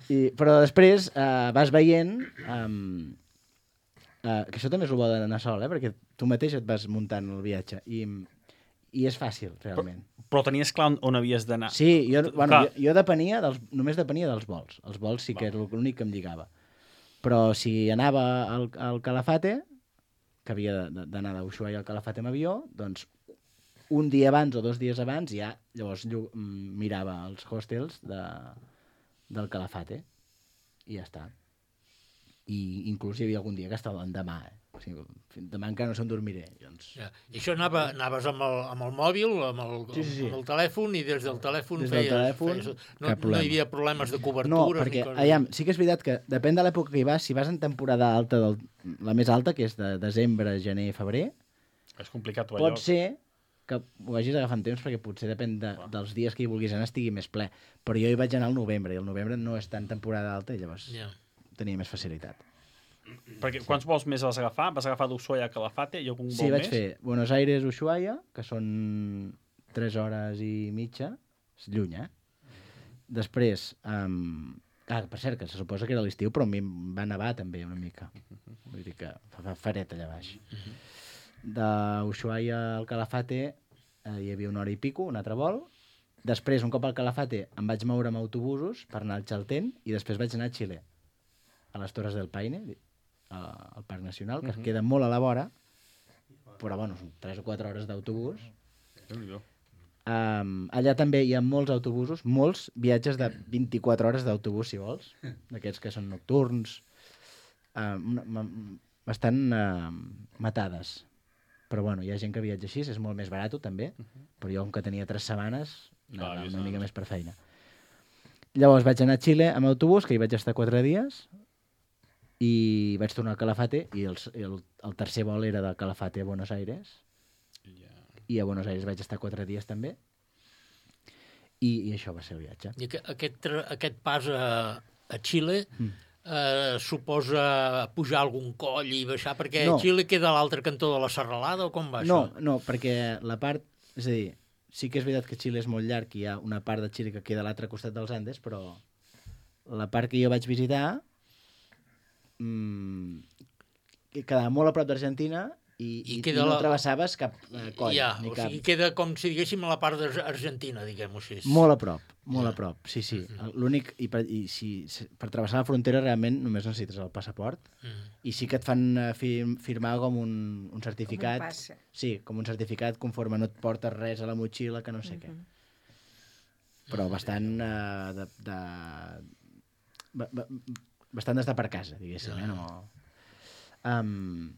I, però després uh, vas veient... Um, uh, que això també és el bo d'anar sol, eh? Perquè tu mateix et vas muntant el viatge. I, i és fàcil, realment. Però, però tenies clar on, on havies d'anar. Sí, jo, bueno, jo, jo depenia dels, només depenia dels vols. Els vols sí que era l'únic que em lligava. Però si anava al, al Calafate, que havia d'anar d'Ushuaia al Calafate amb avió, doncs un dia abans o dos dies abans ja llavors mirava els hostels de, del Calafate i ja està. I inclús hi havia algun dia que estava l'endemà, eh? O sigui, demà encara no se'n dormiré. Doncs... Ja. I això anava, anaves amb el, amb el mòbil, amb el, sí, sí, sí. amb el telèfon, i des del telèfon des feies... Del telèfon, feies no, no hi havia problemes de cobertures? No, perquè ni coses... aviam, sí que és veritat que depèn de l'època que hi vas, si vas en temporada alta, del, la més alta, que és de desembre, gener, febrer, és complicat pot lloc. Ser que ho hagis agafant temps, perquè potser depèn de, dels dies que hi vulguis anar estigui més ple. Però jo hi vaig anar al novembre, i el novembre no és tan temporada alta, i llavors yeah. tenia més facilitat. Perquè quants vols més vas agafar? Vas agafar d'Ushuaia a Calafate i algun vol més? Sí, vaig més? fer Buenos Aires, Ushuaia, que són tres hores i mitja, és lluny, eh? Després, um... ah, per cert, que se suposa que era l'estiu, però a mi em va nevar també una mica. Vull dir que fa fred allà baix. D'Ushuaia al Calafate eh, hi havia una hora i pico, un altre vol. Després, un cop al Calafate, em vaig moure amb autobusos per anar al Chaltén i després vaig anar a Xile, a les Torres del Paine, al Parc Nacional, que uh -huh. queda molt a la vora, però bueno, són tres o quatre hores d'autobús. Um, allà també hi ha molts autobusos, molts viatges de vint-i-quatre hores d'autobús, si vols, d'aquests que són nocturns, um, bastant uh, matades. Però bueno, hi ha gent que viatja així, és molt més barat també, uh -huh. però jo, com que tenia tres setmanes, no, ah, una mica més per feina. Llavors vaig anar a Xile amb autobús, que hi vaig estar quatre dies, i vaig tornar al Calafate, i el, el, el tercer vol era del Calafate a Buenos Aires, yeah. i a Buenos Aires vaig estar quatre dies també, i, i això va ser el viatge. I aquest, aquest pas a, a Xile mm. eh, suposa pujar algun coll i baixar, perquè no. Xile queda a l'altre cantó de la serralada, o com va no, això? No, perquè la part... És a dir, sí que és veritat que Xile és molt llarg, i hi ha una part de Xile que queda a l'altre costat dels Andes, però la part que jo vaig visitar mmm, quedava molt a prop d'Argentina i, i, i no la... travessaves cap eh, coll. Ja, ni o cap... sigui, queda com si diguéssim a la part d'Argentina, diguem-ho així. Molt a prop, molt ja. a prop, sí, sí. Mm. L'únic, i, per, i si, per travessar la frontera realment només necessites el passaport, mm. i sí que et fan fir, firmar com un, un certificat. Com un passe. Sí, com un certificat conforme no et portes res a la motxilla, que no sé mm -hmm. què. però bastant uh, de, de... Ba, ba, bastant d'estar per casa, diguéssim, eh? No... Um,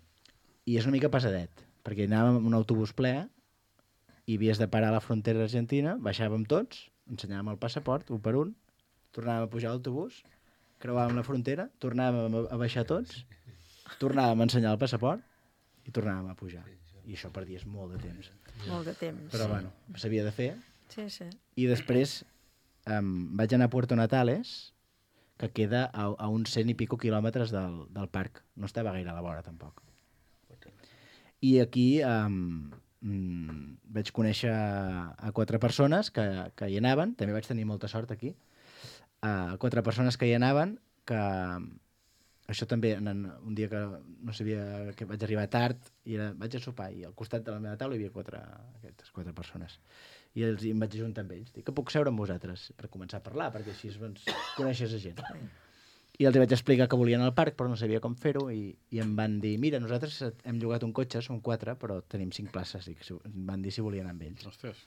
I és una mica pesadet, perquè anàvem amb un autobús ple i havies de parar a la frontera argentina, baixàvem tots, ensenyàvem el passaport, un per un, tornàvem a pujar a l'autobús, creuàvem la frontera, tornàvem a baixar tots, tornàvem a ensenyar el passaport i tornàvem a pujar. I això per dies molt de temps. Molt de temps. Però bueno, s'havia de fer. Sí, sí. I després um, vaig anar a Puerto Natales, que queda a, a uns cent i pico quilòmetres del, del parc. No estava gaire a la vora, tampoc. I aquí um, mm, vaig conèixer a quatre persones que, que hi anaven, també vaig tenir molta sort aquí, a quatre persones que hi anaven, que això també, en, un dia que no sabia, que vaig arribar tard, i era, vaig a sopar, i al costat de la meva taula hi havia quatre, aquestes quatre persones. I, els, i em vaig ajuntar amb ells. Dic que puc seure amb vosaltres per començar a parlar, perquè així doncs, coneixes a gent. I els vaig explicar que volien al parc, però no sabia com fer-ho, i, i em van dir, mira, nosaltres hem llogat un cotxe, som quatre, però tenim cinc places, i em van dir si volien anar amb ells. Ostres.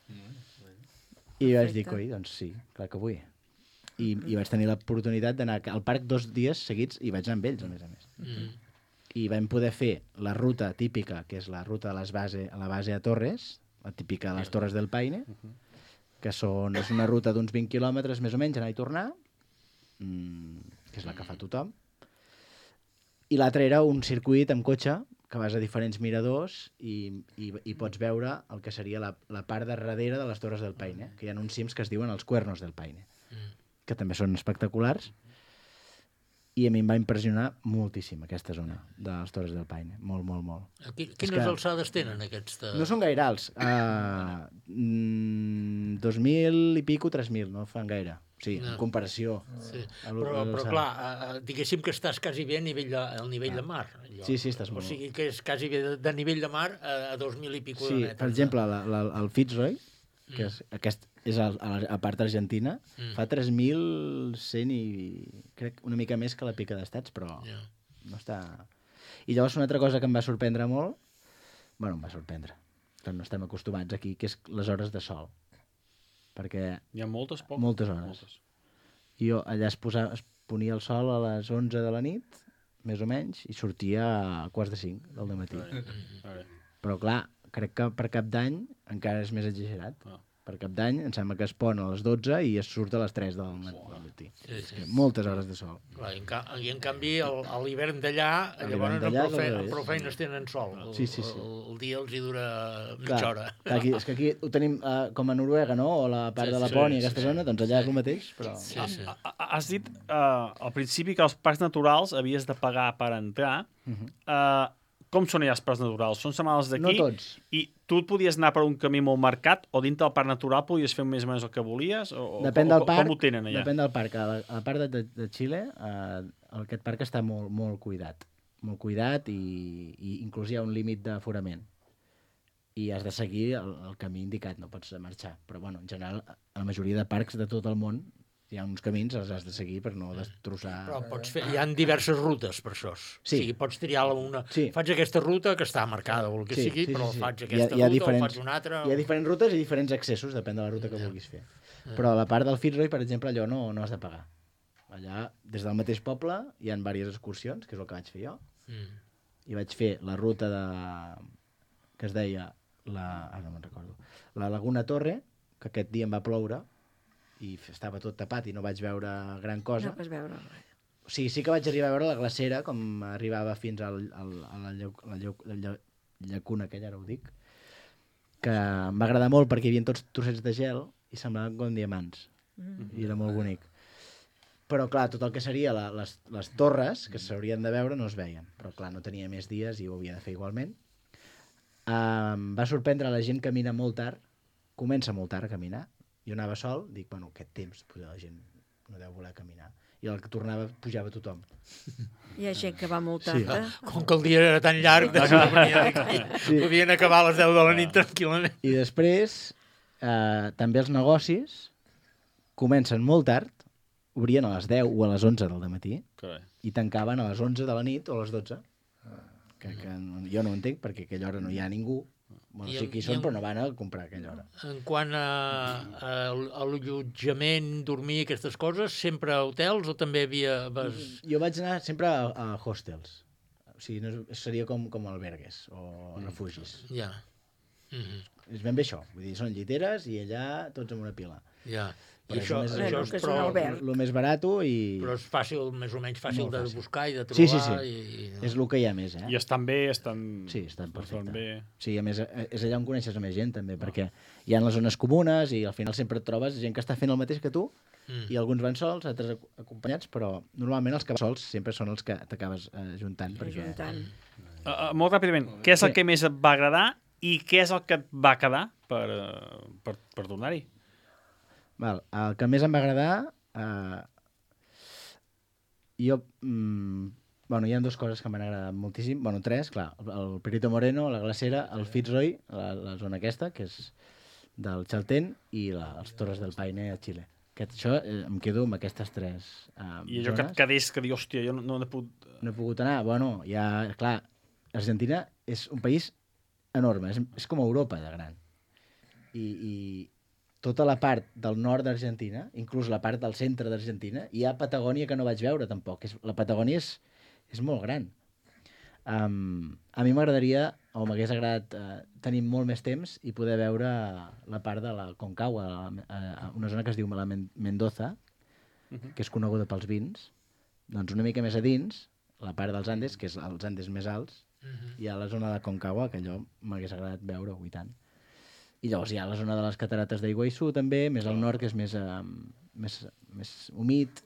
I vaig dir, coi, doncs sí, clar que vull. I, i vaig tenir l'oportunitat d'anar al parc dos dies seguits, i vaig anar amb ells, a més a més. Mm. I vam poder fer la ruta típica, que és la ruta de les base, a la base a Torres, la típica de les Torres del Paine, que són, és una ruta d'uns vint quilòmetres més o menys, anar i tornar, mm, que és la que fa tothom. I l'altre era un circuit amb cotxe, que vas a diferents miradors i, i, i pots veure el que seria la, la part de darrere de les Torres del Paine, que hi ha uns cims que es diuen els Cuernos del Paine, que també són espectaculars, i a mi em va impressionar moltíssim aquesta zona de les Torres del Paine, molt, molt, molt. Aquí, quines que alçades tenen aquests? De... No són gaire alts, uh, mm, dos mil i pico, tres mil, no fan gaire. Sí, no. En comparació. Sí. Però, però clar, uh, diguéssim que estàs quasi bé a nivell de, al nivell ah. de mar. Allò. Sí, sí, estàs molt. O sigui que és quasi bé de, de nivell de mar a, a dos mil i pico sí, de metres. Per exemple, la, la, el Fitzroy, que és, aquest és a, a, a part argentina, mm. fa tres mil cent i crec una mica més que la Pica d'Estats, però yeah. no està... I llavors una altra cosa que em va sorprendre molt, bueno, em va sorprendre, que no estem acostumats aquí, que és les hores de sol. Perquè... Hi ha moltes, poques? Moltes hores. Moltes. I jo allà es, posava, es ponia el sol a les onze de la nit, més o menys, i sortia a quarts de cinc del dematí. Però clar, crec que per Cap d'Any encara és més exagerat. Ah. Per Cap d'Any em sembla que es pon a les dotze i es surt a les tres del matí. Sí, sí. Moltes hores de sol. Clar, i, en ca I en canvi a l'hivern d'allà, llavors amb prou, fe amb prou feines tenen sol. El, sí, sí, sí. el, el dia els hi dura mitja clar, hora. Clar, aquí, és que aquí ho tenim uh, com a Noruega, no? O la part sí, de Lapònia, sí, aquesta sí, zona, doncs allà sí. és el mateix. Però... Sí, sí. Has dit uh, al principi que als parcs naturals havies de pagar per entrar. Uh -huh. uh, Com són allà els parcs naturals? Són setmanes d'aquí? No tots. I tu podies anar per un camí molt marcat o dintre del parc natural podies fer més o menys el que volies? O, depèn del o, parc, com ho tenen allà? Depèn del parc. A la, a la part de, de, de Xile, eh, aquest parc està molt, molt cuidat. Molt cuidat i, i inclús hi ha un límit d'aforament. I has de seguir el, el camí indicat, no pots marxar. Però, bueno, en general, a la majoria de parcs de tot el món hi ha uns camins, els has de seguir per no destrossar... Però pots fer... Hi ha diverses rutes per això. Sí. O sigui, pots triar una... Sí. Faig aquesta ruta que està marcada o el que sí, sigui, sí, però sí, sí. faig aquesta hi ha, hi ha ruta diferents, o faig una altra... Hi ha diferents rutes i diferents accessos, depèn de la ruta que yeah. vulguis fer. Yeah. Però a la part del Fitzroy, per exemple, allò no, no has de pagar. Allà, des del mateix poble, hi ha diverses excursions, que és el que vaig fer jo, mm. i vaig fer la ruta de... que es deia... La... Ah, no me'n recordo. La Laguna Torre, que aquest dia em va ploure, i estava tot tapat i no vaig veure gran cosa. No vas veure res. O sigui, sí que vaig arribar a veure la glacera, com arribava fins al, al, a la, lleu, la, lleu, la lleu, llacuna, que ara ho dic, que em va agradar molt perquè hi havia tots trossets de gel i semblaven com diamants. Mm. I era molt bonic. Però, clar, tot el que seria la, les, les torres, que s'haurien de veure, no es veien. Però, clar, no tenia més dies i ho havia de fer igualment. Em va sorprendre la gent que camina molt tard, comença molt tard a caminar. Jo anava sol, dic, bueno, aquest temps potser la gent no deu voler caminar. I el que tornava pujava tothom. Hi ha gent que va molt tard, sí. eh? Com que el dia era tan llarg, sí. podien acabar a les deu de la nit tranquil·lament. I després, eh, també els negocis comencen molt tard, obrien a les deu o a les onze del dematí i tancaven a les onze de la nit o a les dotze. Que, que jo no ho entenc, perquè a aquella hora no hi ha ningú. Bueno, I sí en- que hi i són, en- però no van a comprar a aquella hora. En quant a, a, a l'allotjament, dormir, aquestes coses, sempre a hotels o també havia... Vas... Jo vaig anar sempre a, a hostels. O sigui, no, és- seria com, com albergues o refugis. Ja. Mhm. És ben bé això. Vull dir, són lliteres i allà tots amb una pila. Ja. I Però això, és això més- és que és un prou... alberg. El més barat i... Però és fàcil, més o menys fàcil Molt de fàcil. buscar i de trobar. Sí, sí, sí. I, i... És el que hi ha més, eh? I estan bé, estan... Sí, estan estan perfecte. bé. Sí, a més, eh, és allà on coneixes a més gent, també, perquè hi ha les zones comunes i al final sempre et trobes gent que està fent el mateix que tu Mm. i alguns van sols, altres ac- acompanyats, però normalment els que van sols sempre són els que t'acabes eh, juntant. Perquè... Ajuntant. Uh, uh, molt ràpidament, què és el Sí. que més et va agradar i què és el que et va quedar per, uh, per, per tornar-hi? Val, el que més em va agradar... Eh, jo... Mm, bueno, hi ha dues coses que m'han agradat moltíssim. Bueno, tres, clar. El, el Perito Moreno, la glacera, el Fitzroy, la, la zona aquesta, que és del Chaltén, i la, els Torres del Paine a Xile. Aquest, això, eh, em quedo amb aquestes tres eh, I allò que et zones. quedés, que dius, hòstia, jo no, no he pogut... No he pogut anar. Bueno, ja, clar, Argentina és un país enorme, és, és com Europa de gran. I, i tota la part del nord d'Argentina, inclús la part del centre d'Argentina, hi ha Patagònia que no vaig veure tampoc. És, la Patagònia és, és molt gran. Um, a mi m'agradaria, o m'hagués agradat uh, tenir molt més temps i poder veure la part de la Concagua, la, uh, una zona que es diu la Men- Mendoza, que és coneguda pels vins. Doncs una mica més a dins, la part dels Andes, que és els Andes més alts, hi ha la zona de Concagua, que allò m'hagués agradat veure, i tant. I llavors hi ha la zona de les catarates d'Iguaissú, també, més al nord, que és més, uh, més, més humit.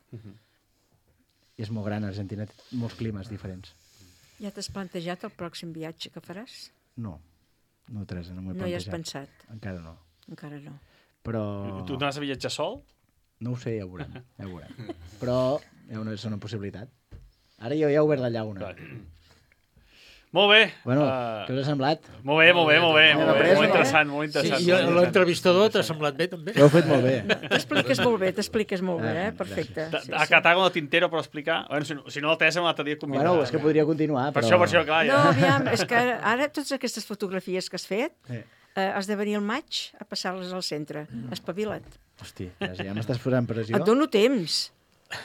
I és molt gran, Argentina té molts climes diferents. Ja t'has plantejat el pròxim viatge que faràs? No, no, Teresa, no m'ho he No hi has plantejat. pensat? Encara no. Encara no. Però... Tu anaves a viatjar sol? No ho sé, ja ho veurem. Ja ho veurem. Però hi ha una, és una possibilitat. Ara jo ja he obert la llauna. Molt bé. Bueno, uh, què us ha semblat? Molt bé, molt bé, molt bé. Hem Molt, bé. après, molt no? interessant, molt Sí, interessant. i molt interessant. l'entrevistador t'ha semblat bé, també? Ho heu fet molt bé. T'expliques molt bé, t'expliques molt bé, eh? Ah, Perfecte. Ta- Sí, A sí. Catar con el tintero per explicar. Bueno, si no, si no la Teresa un altre dia convidarà. Bueno, és que podria continuar, Per però... això, per això, clar. No, Ja. aviam, és que ara, ara totes aquestes fotografies que has fet, Sí. eh, has de venir al maig a passar-les al centre. Espavila't. Hosti, Teresa, ja m'estàs posant pressió. Et dono temps.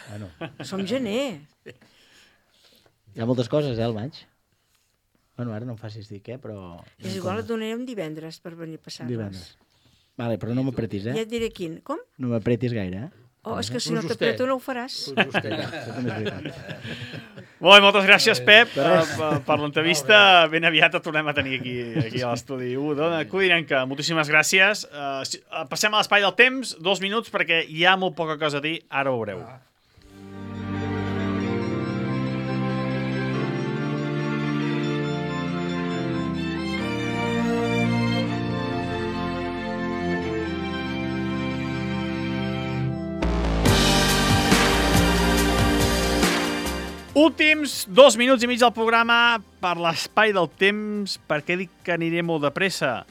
Bueno, Som gener. hi ha moltes coses, eh, al maig. Bueno, ara no em facis dir què, però... És igual, et donarem divendres per venir a passar-les. Divendres. Vale, però no m'apretis, Ja eh? et diré quin. Com? No m'apretis gaire, eh? Oh, és que si no Justet. t'apreto no ho faràs. Això també és veritat. Molt bé, moltes gràcies, Pep, per, per, per l'entrevista. Ben aviat et tornem a tenir aquí, aquí a l'estudi u d'Ona Codinenca. Moltíssimes gràcies. Uh, si- uh, passem a l'espai del temps, dos minuts, perquè hi ha molt poca cosa a dir. Ara ho veureu. Últims dos minuts i mig del programa per l'espai del temps. Per què dic que aniré molt de pressa?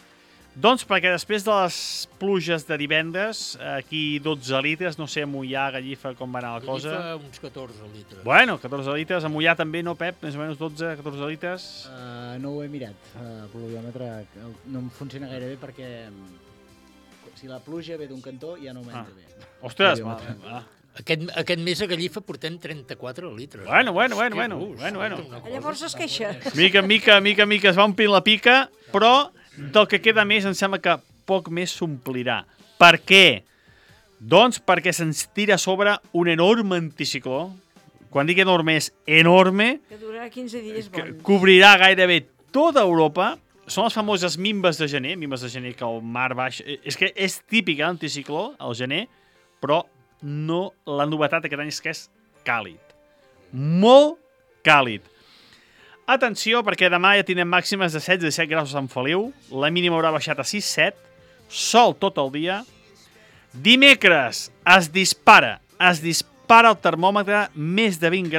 Doncs perquè després de les pluges de divendres, aquí dotze litres, no sé, a Mollà, Gallifa, com va anar la cosa. Gallifa, uns catorze litres. Bueno, catorze litres, a Mollà també, no, Pep? Més o menys dotze, catorze litres. Uh, no ho he mirat, uh, el pluviòmetre el- no em funciona gaire bé perquè mm, si la pluja ve d'un cantó ja no m'entra Ah. bé. Ostres, El va, pluviòmetre. va. Aquest, aquest mes a Gallifa portem trenta-quatre litres. Bueno, bueno, bueno, Que bueno, gust, bueno, bueno. una cosa. Llavors es queixa. Mica en mica, mica en mica es va omplint la pica, però del que queda més em sembla que poc més s'omplirà. Per què? Doncs perquè se'ns tira a sobre un enorme anticicló. Quan dic enorme és enorme, Que durarà quinze dies que bons. cobrirà gairebé tota Europa. Són les famoses mimbes de gener, mimbes de gener que el mar baix... És que és típic, eh, l'anticicló, al gener, però no la novetat aquest any és que és càlid. Molt càlid. Atenció, perquè demà ja tindrem màximes de setze a disset graus a Sant Feliu, la mínima haurà baixat a sis set, sol tot el dia. Dimecres es dispara, es dispara el termòmetre més de vint graus.